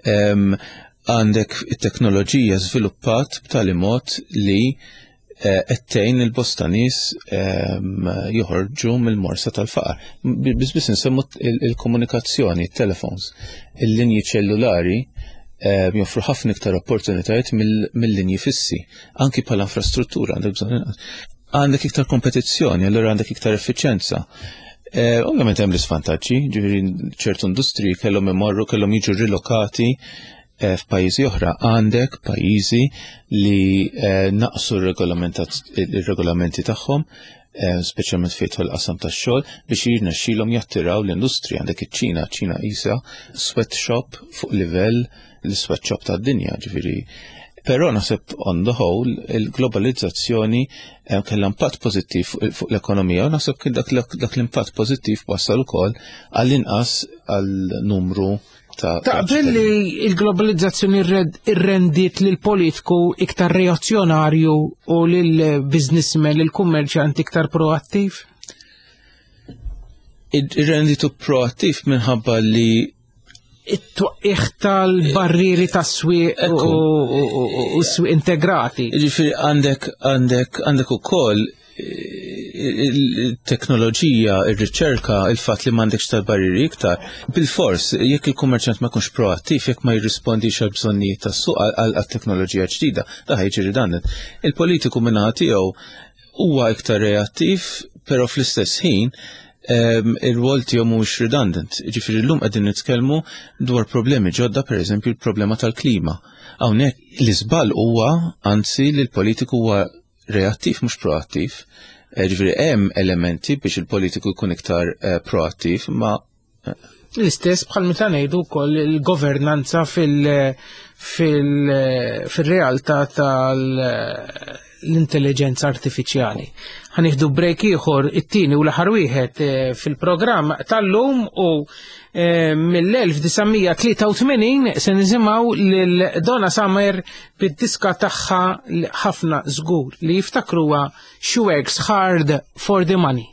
Għandek it-teknoloġija żviluppat b'tali mod li eh, qed tgħin il-bosta nies joħorġu mill-morsa tal-faqar. Biss biss insemmu il-komunikazzjoni, il-telefons, il-linji ċellulari joffru ħafna iktar opportunitajiet mill-linji fissi, anki bħala infrastruttura għandek bżonn inqas. Għandek iktar kompetizzjoni, allura għandek iktar effiċjenza. Eh, ovvjament hemm l-isvantaġġi, ġifieri ċertu industriji kellhom imorru, kellhom jiġu rilokati eh, f'pajjiżi oħra. Għandek pajjiżi li eh, naqsu r-regolamenti tagħhom, speċjalment fejn tidħol qasam tax-xogħol, biex jirnexxilhom jattiraw l-industrija. Għandek iċ-Ċina, ċina isa sweatshop fuq livell l-sweatshop tad-dinja, ġifieri Però naħseb on the whole il-globalizzazzjoni eh, kellha impatt pożittiv fuq l-ekonomija u naħseb kien dak l-impatt pożittiv wassal ukoll għall-inqas għal numru ta' Taqbel li l-globalizzazzjoni irrendiet lil politiku iktar reazzjonarju u lil businessman, lil kummerċjant iktar proattiv? Irrenditu proattiv minħabba li it-twaqqigħ tal-barrieri tas-swieq u s-swieq integrati. Ġifieri għandek għandek għandek ukoll il-teknoloġija, il-riċerka, il-fatt li m'għandekx tal-barrieri iktar. Bil-fors, jekk il-kummerċjant ma jkunx proattiv, jekk ma jirrispondix għal bżonnijiet tas-suq għal teknoloġija ġdida, da ħa jiġi redundant. Il-politiku min-naħa tiegħu huwa iktar reattiv, però fl-istess ħin ir-rwol tiegħu mhuwiex redundant. Ġifieri llum qegħdin nitkellmu dwar problemi ġodda, pereżempju il-problema tal-klima. Hawnhekk l-iżball huwa anzi li l-politiku huwa reattiv mhux proattiv. Ġifieri hemm elementi biex il-politiku jkun iktar eh, proattiv, ma L-istess bħal meta ngħidu wkoll il-governanza fil-realtà tal-intelligenza artifiċjali. Ħa nieħdu break ieħor, it-tieni u l-aħħar wieħed eh, fil-programm tal-lum, u eh, mill-elf disa' mija tlieta u tmenin se nisimgħu lil Donna Summer bid-diska tagħha li ħafna żgur li jiftakruha, She Works Hard for the Money.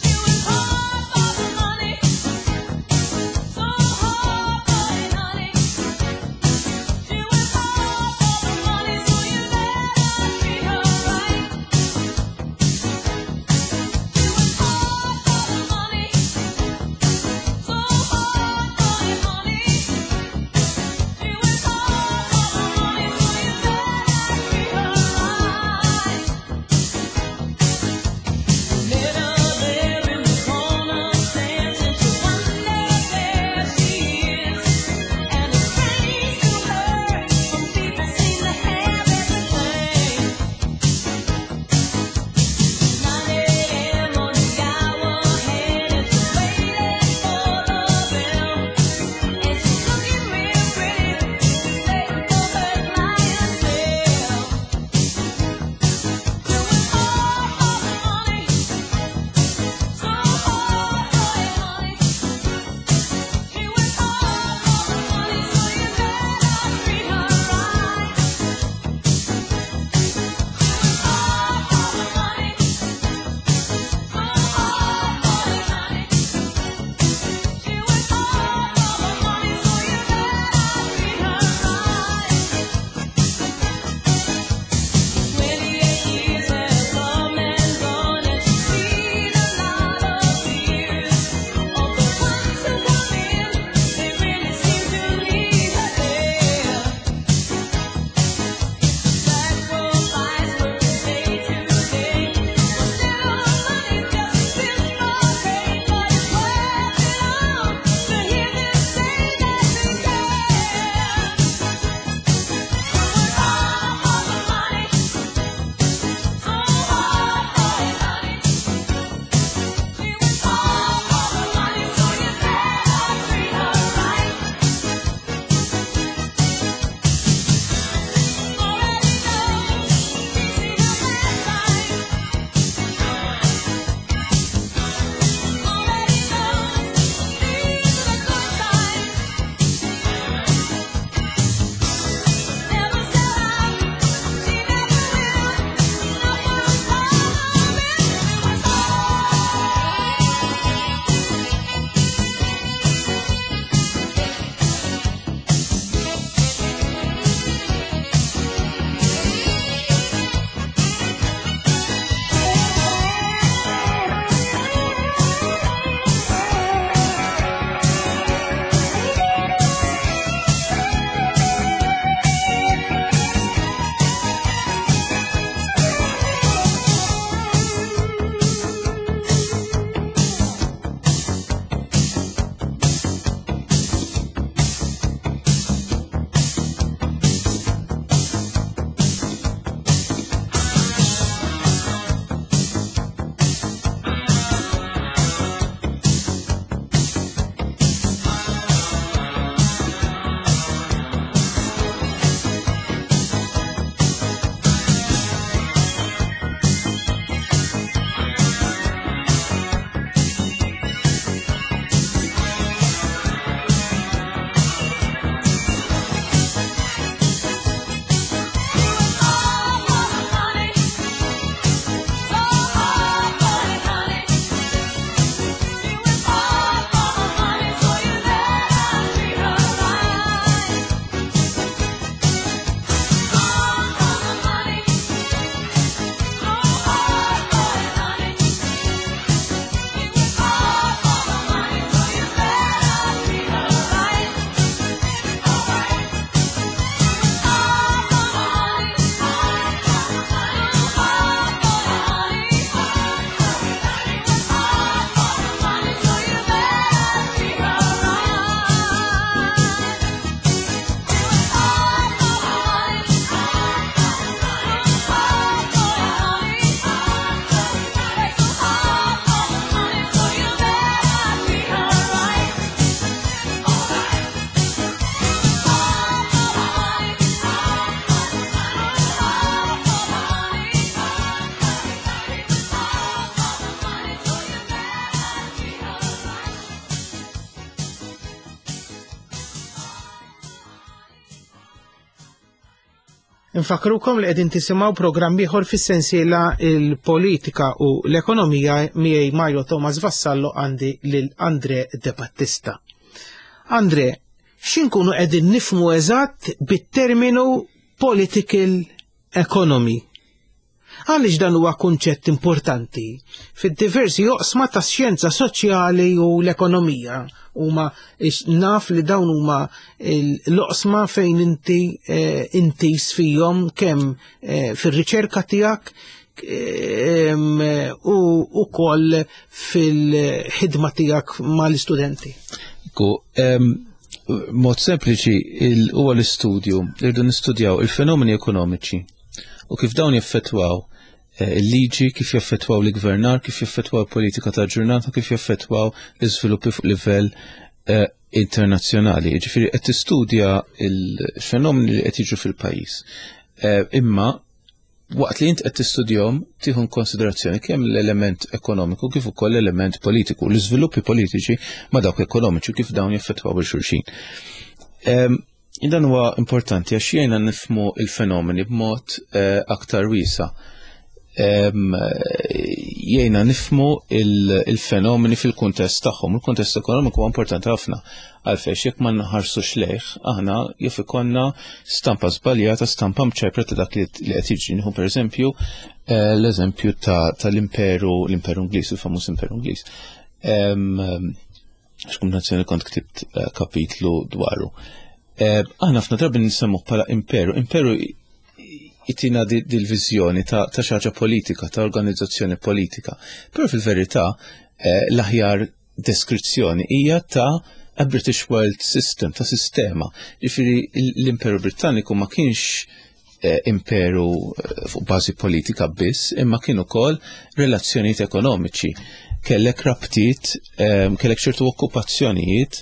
She was hard for the money, so hard for it, honey. Infakrukom li qegħdin tisimgħu programm ieħor fis-sensiela il-politika u l-ekonomija miegħi Mario Thomas Vassallo għandi lil Andre De Battista. Andre, x'inkunu qegħdin nifhmu eżatt bit-terminu political economy? Għaliex dan huwa kunċett importanti fid-diversi oqsma ta' xjenza soċjali u l-ekonomija? Huma naf li dawn huma l-oqsma fejn inti eh, intis fihom kemm eh, fir-riċerka tiegħek eh, u wkoll fil-ħidma tiegħek mal-istudenti. Mod sempliċi huwa l-istudju, irridu nistudjaw il-fenomeni ekonomiċi u kif dawn jaffettwaw il-liġi, kif jaffettwaw l-gvernar, kif jaffettwaw politika ta' ġurnata, kif jaffettwaw l-iżviluppi fuq livell eh, internazzjonali. Ġifieri qed tistudja il-fenomeni li qed jiġu fil-pajjiż. Eh, imma waqt li int qed tistudjahom tieħu konsiderazzjoni kemm l-element ekonomiku kif ukoll l-element politiku, l-iżviluppi politiċi ma' dawk ekonomiċi kif dawn jaffettwaw lil xulxin. Dan huwa importanti għax jgħinna nifhmu il-fenomeni b'mod eh, aktar wiesa'. Jgħinna nifhmu il-fenomeni fil-kuntest tagħhom. Il-kuntest ekonomiku huwa importanti ħafna. Għalfejn jekk ma nħarsux lejh, aħna jaf ikollna stampa żbaljata, stampa mċajpra ta' dak li qed jiġri. Nieħu pereżempju eh, l-eżempju tal-imperu l-imperu Ingliż, il-famuż imperu Ingliż. X'kumbinazzjoni kont ktibt eh, kapitlu dwaru. Aħna ħafna drabi nsemmuh bħala imperu. Imperu jtina dil-viżjoni ta' xi ħaġa politika, ta' organizzazzjoni politika. Però fil-verità eh, l-aħjar deskrizzjoni hija ta' a British World System, ta' sistema. Ġifieri l-Imperu Britanniku ma kienx eh, imperu eh, fuq bażi politika biss, imma kien ukoll relazzjonijiet ekonomiċi. Kellek rabtiet, kellek ċertu okkupazzjonijiet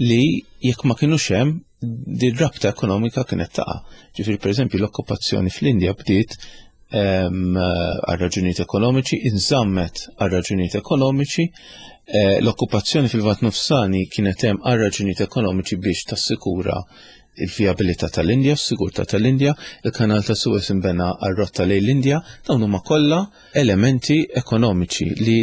li jekk ma kienux hemm din rabta ekonomika kienet taqa'. Ġifieri pereżempju l-okkupazzjoni fl-Indja bdiet għal raġunijiet ekonomiċi, inżammet għal raġunijiet ekonomiċi, eh, l-okkupazzjoni fil-Lvant Nofsani kienet hemm għal raġunijiet ekonomiċi biex tassikura il-vijabilità tal-Indja, s-sigurtà tal-Indja, il-kanal ta' Suez imbena għal rotta lejn l-Indja, dawn huma kollha elementi ekonomiċi li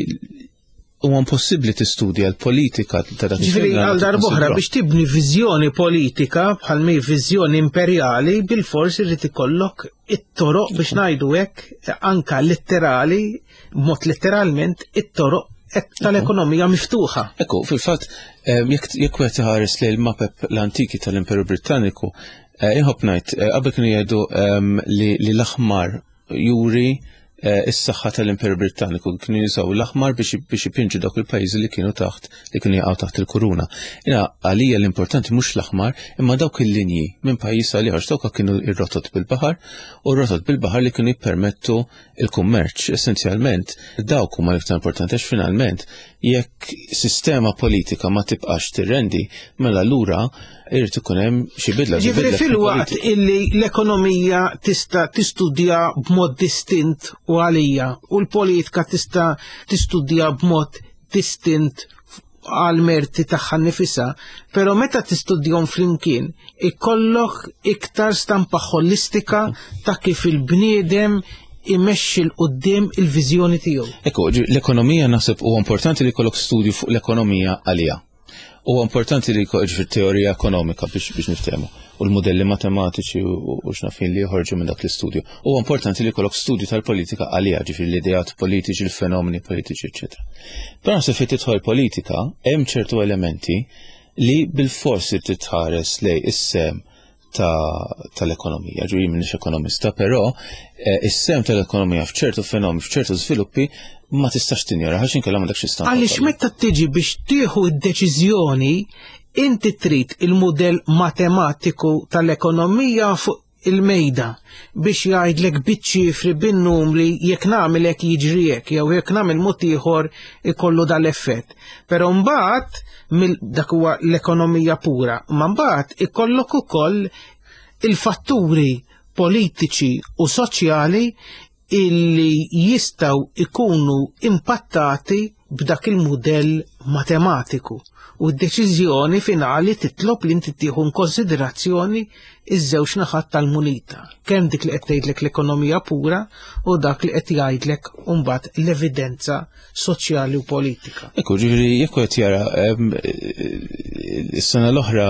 huwa impossibbli tistudja l-politika ta' dak Ġifieri għal darb'oħra biex tibni viżjoni politika bħal mi viżjoni imperjali bil-fors irid ikollok it-toroq biex ngħidu hekk anka letterali, mod letteralment it-toroq tal-ekonomija miftuħa. Ekku, fil-fatt, jekk wieħed iħares lejn il-mapep l-antiki tal-Imperu Britanniku, inħobb ngħid, qabel kienu jgħidu li l-aħmar juri is-saħħa tal-Imperu Britanniku, kienu jużaw l-aħmar biex ipinġu dawk il-pajjiżi li kienu taħt li kienu jaqgħu taħt il-kuruna. Jiena għalija l-importanti mhux l-aħmar, imma dawk il-linji minn pajjiż għal ieħor, dawk kienu ir-rotot bil-baħar u r-rotot bil-baħar li kienu jippermettu il-kummerċ. Essenzjalment dawk huma l-iktar importanti għax finalment jekk sistema politika ma tibqax tirrendi, mela lura irid ikun hemm xi bidla. Ġifieri fil-waqt illi l-ekonomija tista' tistudja b'mod distint u għalija u l-politika tista' tistudja b'mod distint għal merti tagħha nnifisha, però meta tistudjahom flimkien ikollok iktar stampa ħolistika ta' kif il-bniedem imexxi 'l quddiem il-viżjoni tiegħu. Ekku, l-ekonomija naħseb huwa importanti li jkollok studju fuq l-ekonomija għalija. Huwa importanti li jkollok ġifieri teorija ekonomika biex biex niftehmu u l-modelli matematiċi u x'nafin li joħorġu minn dak l-istudju. Huwa importanti li jkollok studju tal-politika għalija, ġifieri l-ideat politiċi, il-fenomeni politiċi, eċċetera. Però naħseb fejn tidħol politika hemm ċertu elementi li bil-forsi titħares lej is-sem tal-ekonomija, ġifieri m'iniex ekonomista, però is-sem tal-ekonomija f'ċertu fenomeni, f'ċertu żviluppi ma tistax tinjora, għax inkella m'għandekx istampa. Għaliex meta tiġi biex tieħu d-deċiżjoni, inti trid il-mudell matematiku tal-ekonomija fuq il-mejda biex jgħidlek biċ-ċifri bin-numri jekk nagħmel hekk jiġri hekk jew jekk nagħmel mod ieħor ikollu dal-effett. Però mbagħad dak huwa l-ekonomija pura, ma mbagħad ikollok ukoll il-fatturi politiċi u soċjali illi jistgħu ikunu impattati b'dak il-mudell matematiku u d-deċiżjoni finali titlob li inti tieħu konsiderazzjoni iż-żewġ naħat tal-munita. Kemm dik li qed tgħidlek l-ekonomija pura u dak li qed jgħidlek mbagħad l-evidenza soċjali u politika. Ekku, ġifieri jekk qed jara is-sena l-oħra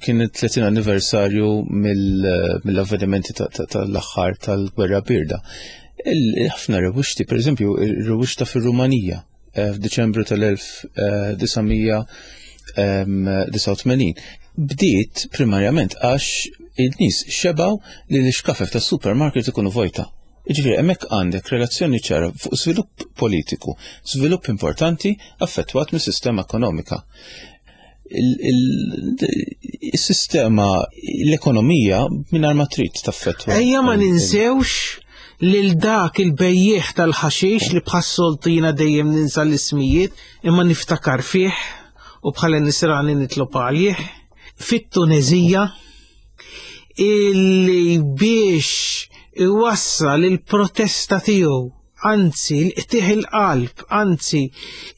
kien it-tletin anniversarju mill-avvenimenti tal-aħħar tal-Gwerra Birda. Ħafna revuxti, per eżempju, revuxta fir-Rumanija f'Diċembru tal-elf disa' mija disgħa u tmenin. Bdiet primarjament għax il-nies xebaw li l-iskafef tas-supermarket ikunu vojta. Jiġifieri hemmhekk għandek relazzjoni ċara fuq żvilupp politiku, żvilupp importanti affettwat mis-sistema ekonomika. Il-sistema, l-ekonomija mingħajr ma trid taffettwa. Ejja ma ninsewx lil dak il-bejjieħ tal-ħaxix li bħas-soltu jiena dejjem ninsa l-ismijiet imma niftakar fih u bħala nisrani nitlob għalih fit-Tunezija illi biex iwassal il-protesta tiegħu, anzi l-qtieħ il-qalb, anzi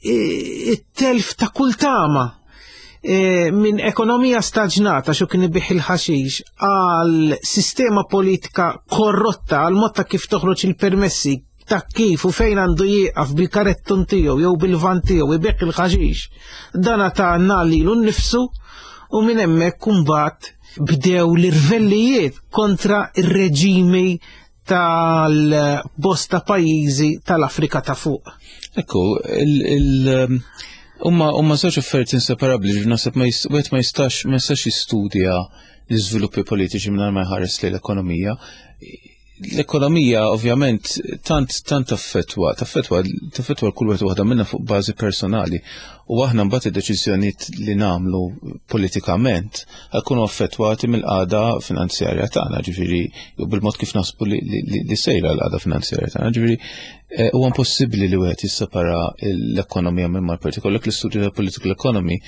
it-telf ta' kull tama minn ekonomija staġnata xu kien ibih il-ħaxix għal sistema politika korrotta, għal mod ta' kif toħroġ il-permessi ta' kif u fejn għandu jieqaf bil-karettun tiegħu jew bil-van tiegħu ibih il-ħaxix. Dana ta' lilu nnifsu u minn hemmhekk imbagħad bdew l-irvellijiet kontra ir-reġimi tal-bosta pajjiżi tal-Afrika ta' fuq. Ekku, il- Umma, umma żewġ affarijiet inseparabbli, ġifieri naħseb ma jist-, wieħed ma jistax, ma jistax jistudja l-iżviluppi politiċi mingħajr ma jħares lejn l-ekonomija. L-ekonomija ovvjament tant, tant taffettwa, taffettwa, taffettwa kull wieħed waħda minna fuq bażi personali. U aħna mbagħad id-deċiżjonijiet li nagħmlu politikament jkunu affettwati mill-qagħda finanzjarja tagħna, ġifieri jew bil-mod kif naħsbu li, li, li, li sejra l-qagħda finanzjarja tagħna, ġifieri, eh, huwa impossibbli li wieħed jissepara l-ekonomija minn mal-politiku. L-istudju tal-political economy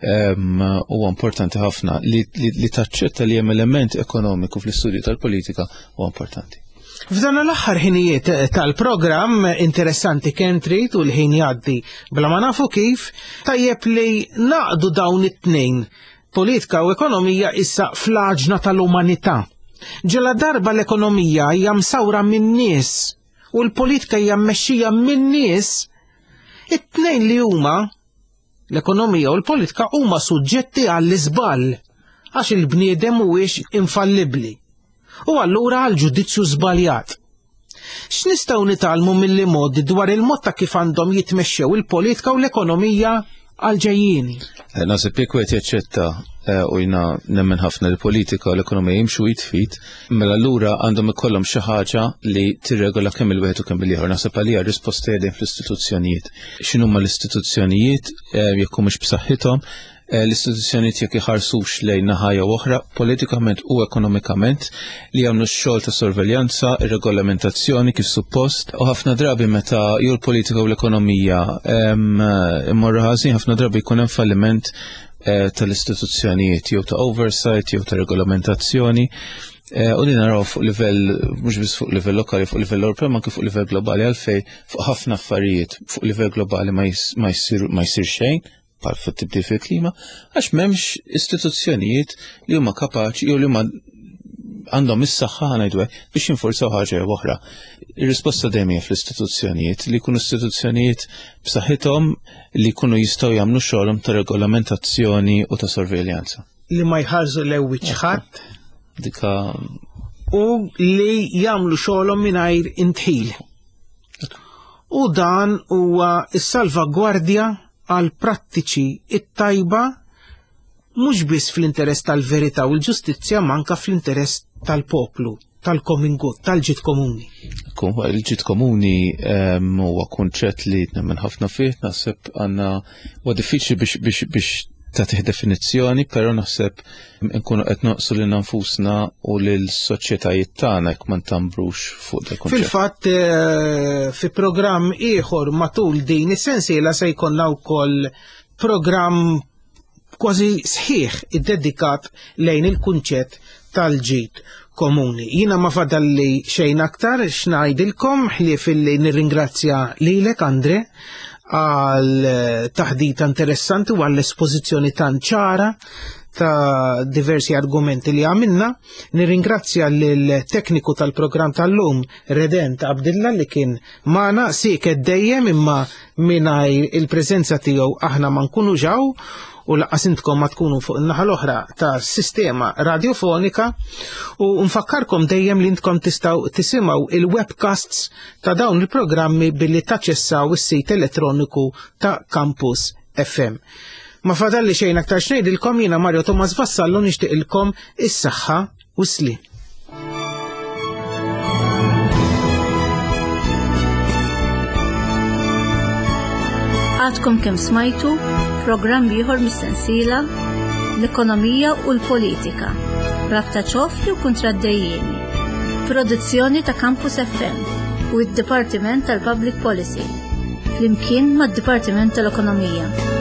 huwa importanti ħafna li, li, li taċċetta li hemm element ekonomiku fl-istudju tal-politika huwa importanti. F'dan l-aħħar ħinijiet tal-programm interessanti kemm trid u l-ħin jgħaddi bla ma nafu kif, tajjeb li naqdu dawn it-tnejn, politika u ekonomija, issa fl-għaġna tal-umanità. Ġela darba l-ekonomija hija msawra min-nies u l-politika hija mmexxija min-nies, it-tnejn li huma l-ekonomija u l-politika huma suġġetti għall-iżball għax il-bniedem mhuwiex infallibbli. U allura għal ġudizzju żbaljat. X'nistgħu nitgħallmu mill-modi dwar il-mod ta' kif għandhom jitmexxew il-politika u l-ekonomija għal-ġejjieni? Eh, naħseb jekk wieħed jaċċetta, eh, u jiena nemmen ħafna l-politika u l-ekonomija jimxu jitfit, mela allura għandhom ikollhom xi ħaġa li tirregola kemm il-wieħed u kemm il-ieħor. Naħseb għalija r-risposta hija fl-istituzzjonijiet. X'inhuma l-istituzzjonijiet, eh, jekk humiex b'saħħithom, eh, l-istituzzjonijiet jekk iħarsux lejn naħa jew oħra, politikament u ekonomikament, li jagħmlu x-xogħol ta' sorveljanza, ir-regolamentazzjoni kif suppost, u ħafna drabi meta jew l-politika u l-ekonomija, em, immorru ħażin, ħafna drabi jkun hemm falliment, eh, tal-istituzzjonijiet jew ta' oversight jew ta' regolamentazzjoni. Eh, u li naraw fuq livell, mhux biss fuq livell lokali, fuq livell Ewropew, ma anke fuq livell globali, għalfej fuq ħafna affarijiet fuq livell globali ma jis-, ma jsir, ma jsir xejn, bħal fuq tibdil fil-klima, għax m'hemmx istituzzjonijiet li huma kapaċi jew li huma għandhom is-saħħa ngħidu hekk biex jinforzaw ħaġa jew oħra. Ir-risposta dejjem hija fl-istituzzjonijiet, li jkunu istituzzjonijiet b'saħħithom li jkunu jistgħu jagħmlu xogħolhom ta' regolamentazzjoni u ta' sorveljanza. Li ma jħarsu l-ewwiċ ħadd. Dika U li jagħmlu xogħolhom mingħajr intħil. U dan huwa s-salvagwardja għal prattiċi it-tajba mhux biss fl-interess tal-verità u l-ġustizzja, ma anke fl-interess tal-poplu, tal-common good, tal-ġid komuni. Ekku, il-ġid komuni, ehm, huwa kunċett li nemmen ħafna fih, naħseb għandna huwa diffiċli biex, biex, biex tagħtih definizzjoni, però naħseb nkunu qed noqsu lil nfusna u lil soċjetajiet tagħna jekk ma ntambrux fuq dak il-kunċett. Fil-fatt, eh, fi programm ieħor matul din is-sensiela se jkollna wkoll programm kważi sħiħ iddedikat lejn il-kunċett tal-ġid komuni. Jiena ma fadalli xejn aktar x'ngħidilkom ħlief illi nirringrazzja lilek Andre għal taħdita interessanti u għall espożizzjoni tant ċara ta' diversi argumenti li għamilna. Nirringrazzja lill-tekniku tal-programm tal-lum, Redent Abdilla, li kien magħna sieket dejjem, imma mingħajr il-preżenza tiegħu aħna ma nkunu ġaw u lanqas intkom ma tkunu fuq in-naħa l-oħra ta' sistema radiofonika. U nfakkarkom dejjem li intkom tistgħu tisimgħu il-webcasts ta' dawn il-programmi billi taċċessaw is-sit elettroniku ta' Campus F M. Ma fadalli xejn aktar x'ngħidilkom, jiena Mario Thomas Vassallo nixtieqilkom is-saħħa u s-sliem. Għadkom kemm smajtu programm ieħor mis-sensiela L-Ekonomija u l-Politika, rabta ċoff jew kontraddejjieni, produzzjoni ta' Campus F M u d-Dipartiment tal-Public Policy, flimkien mad-Dipartiment tal-Ekonomija.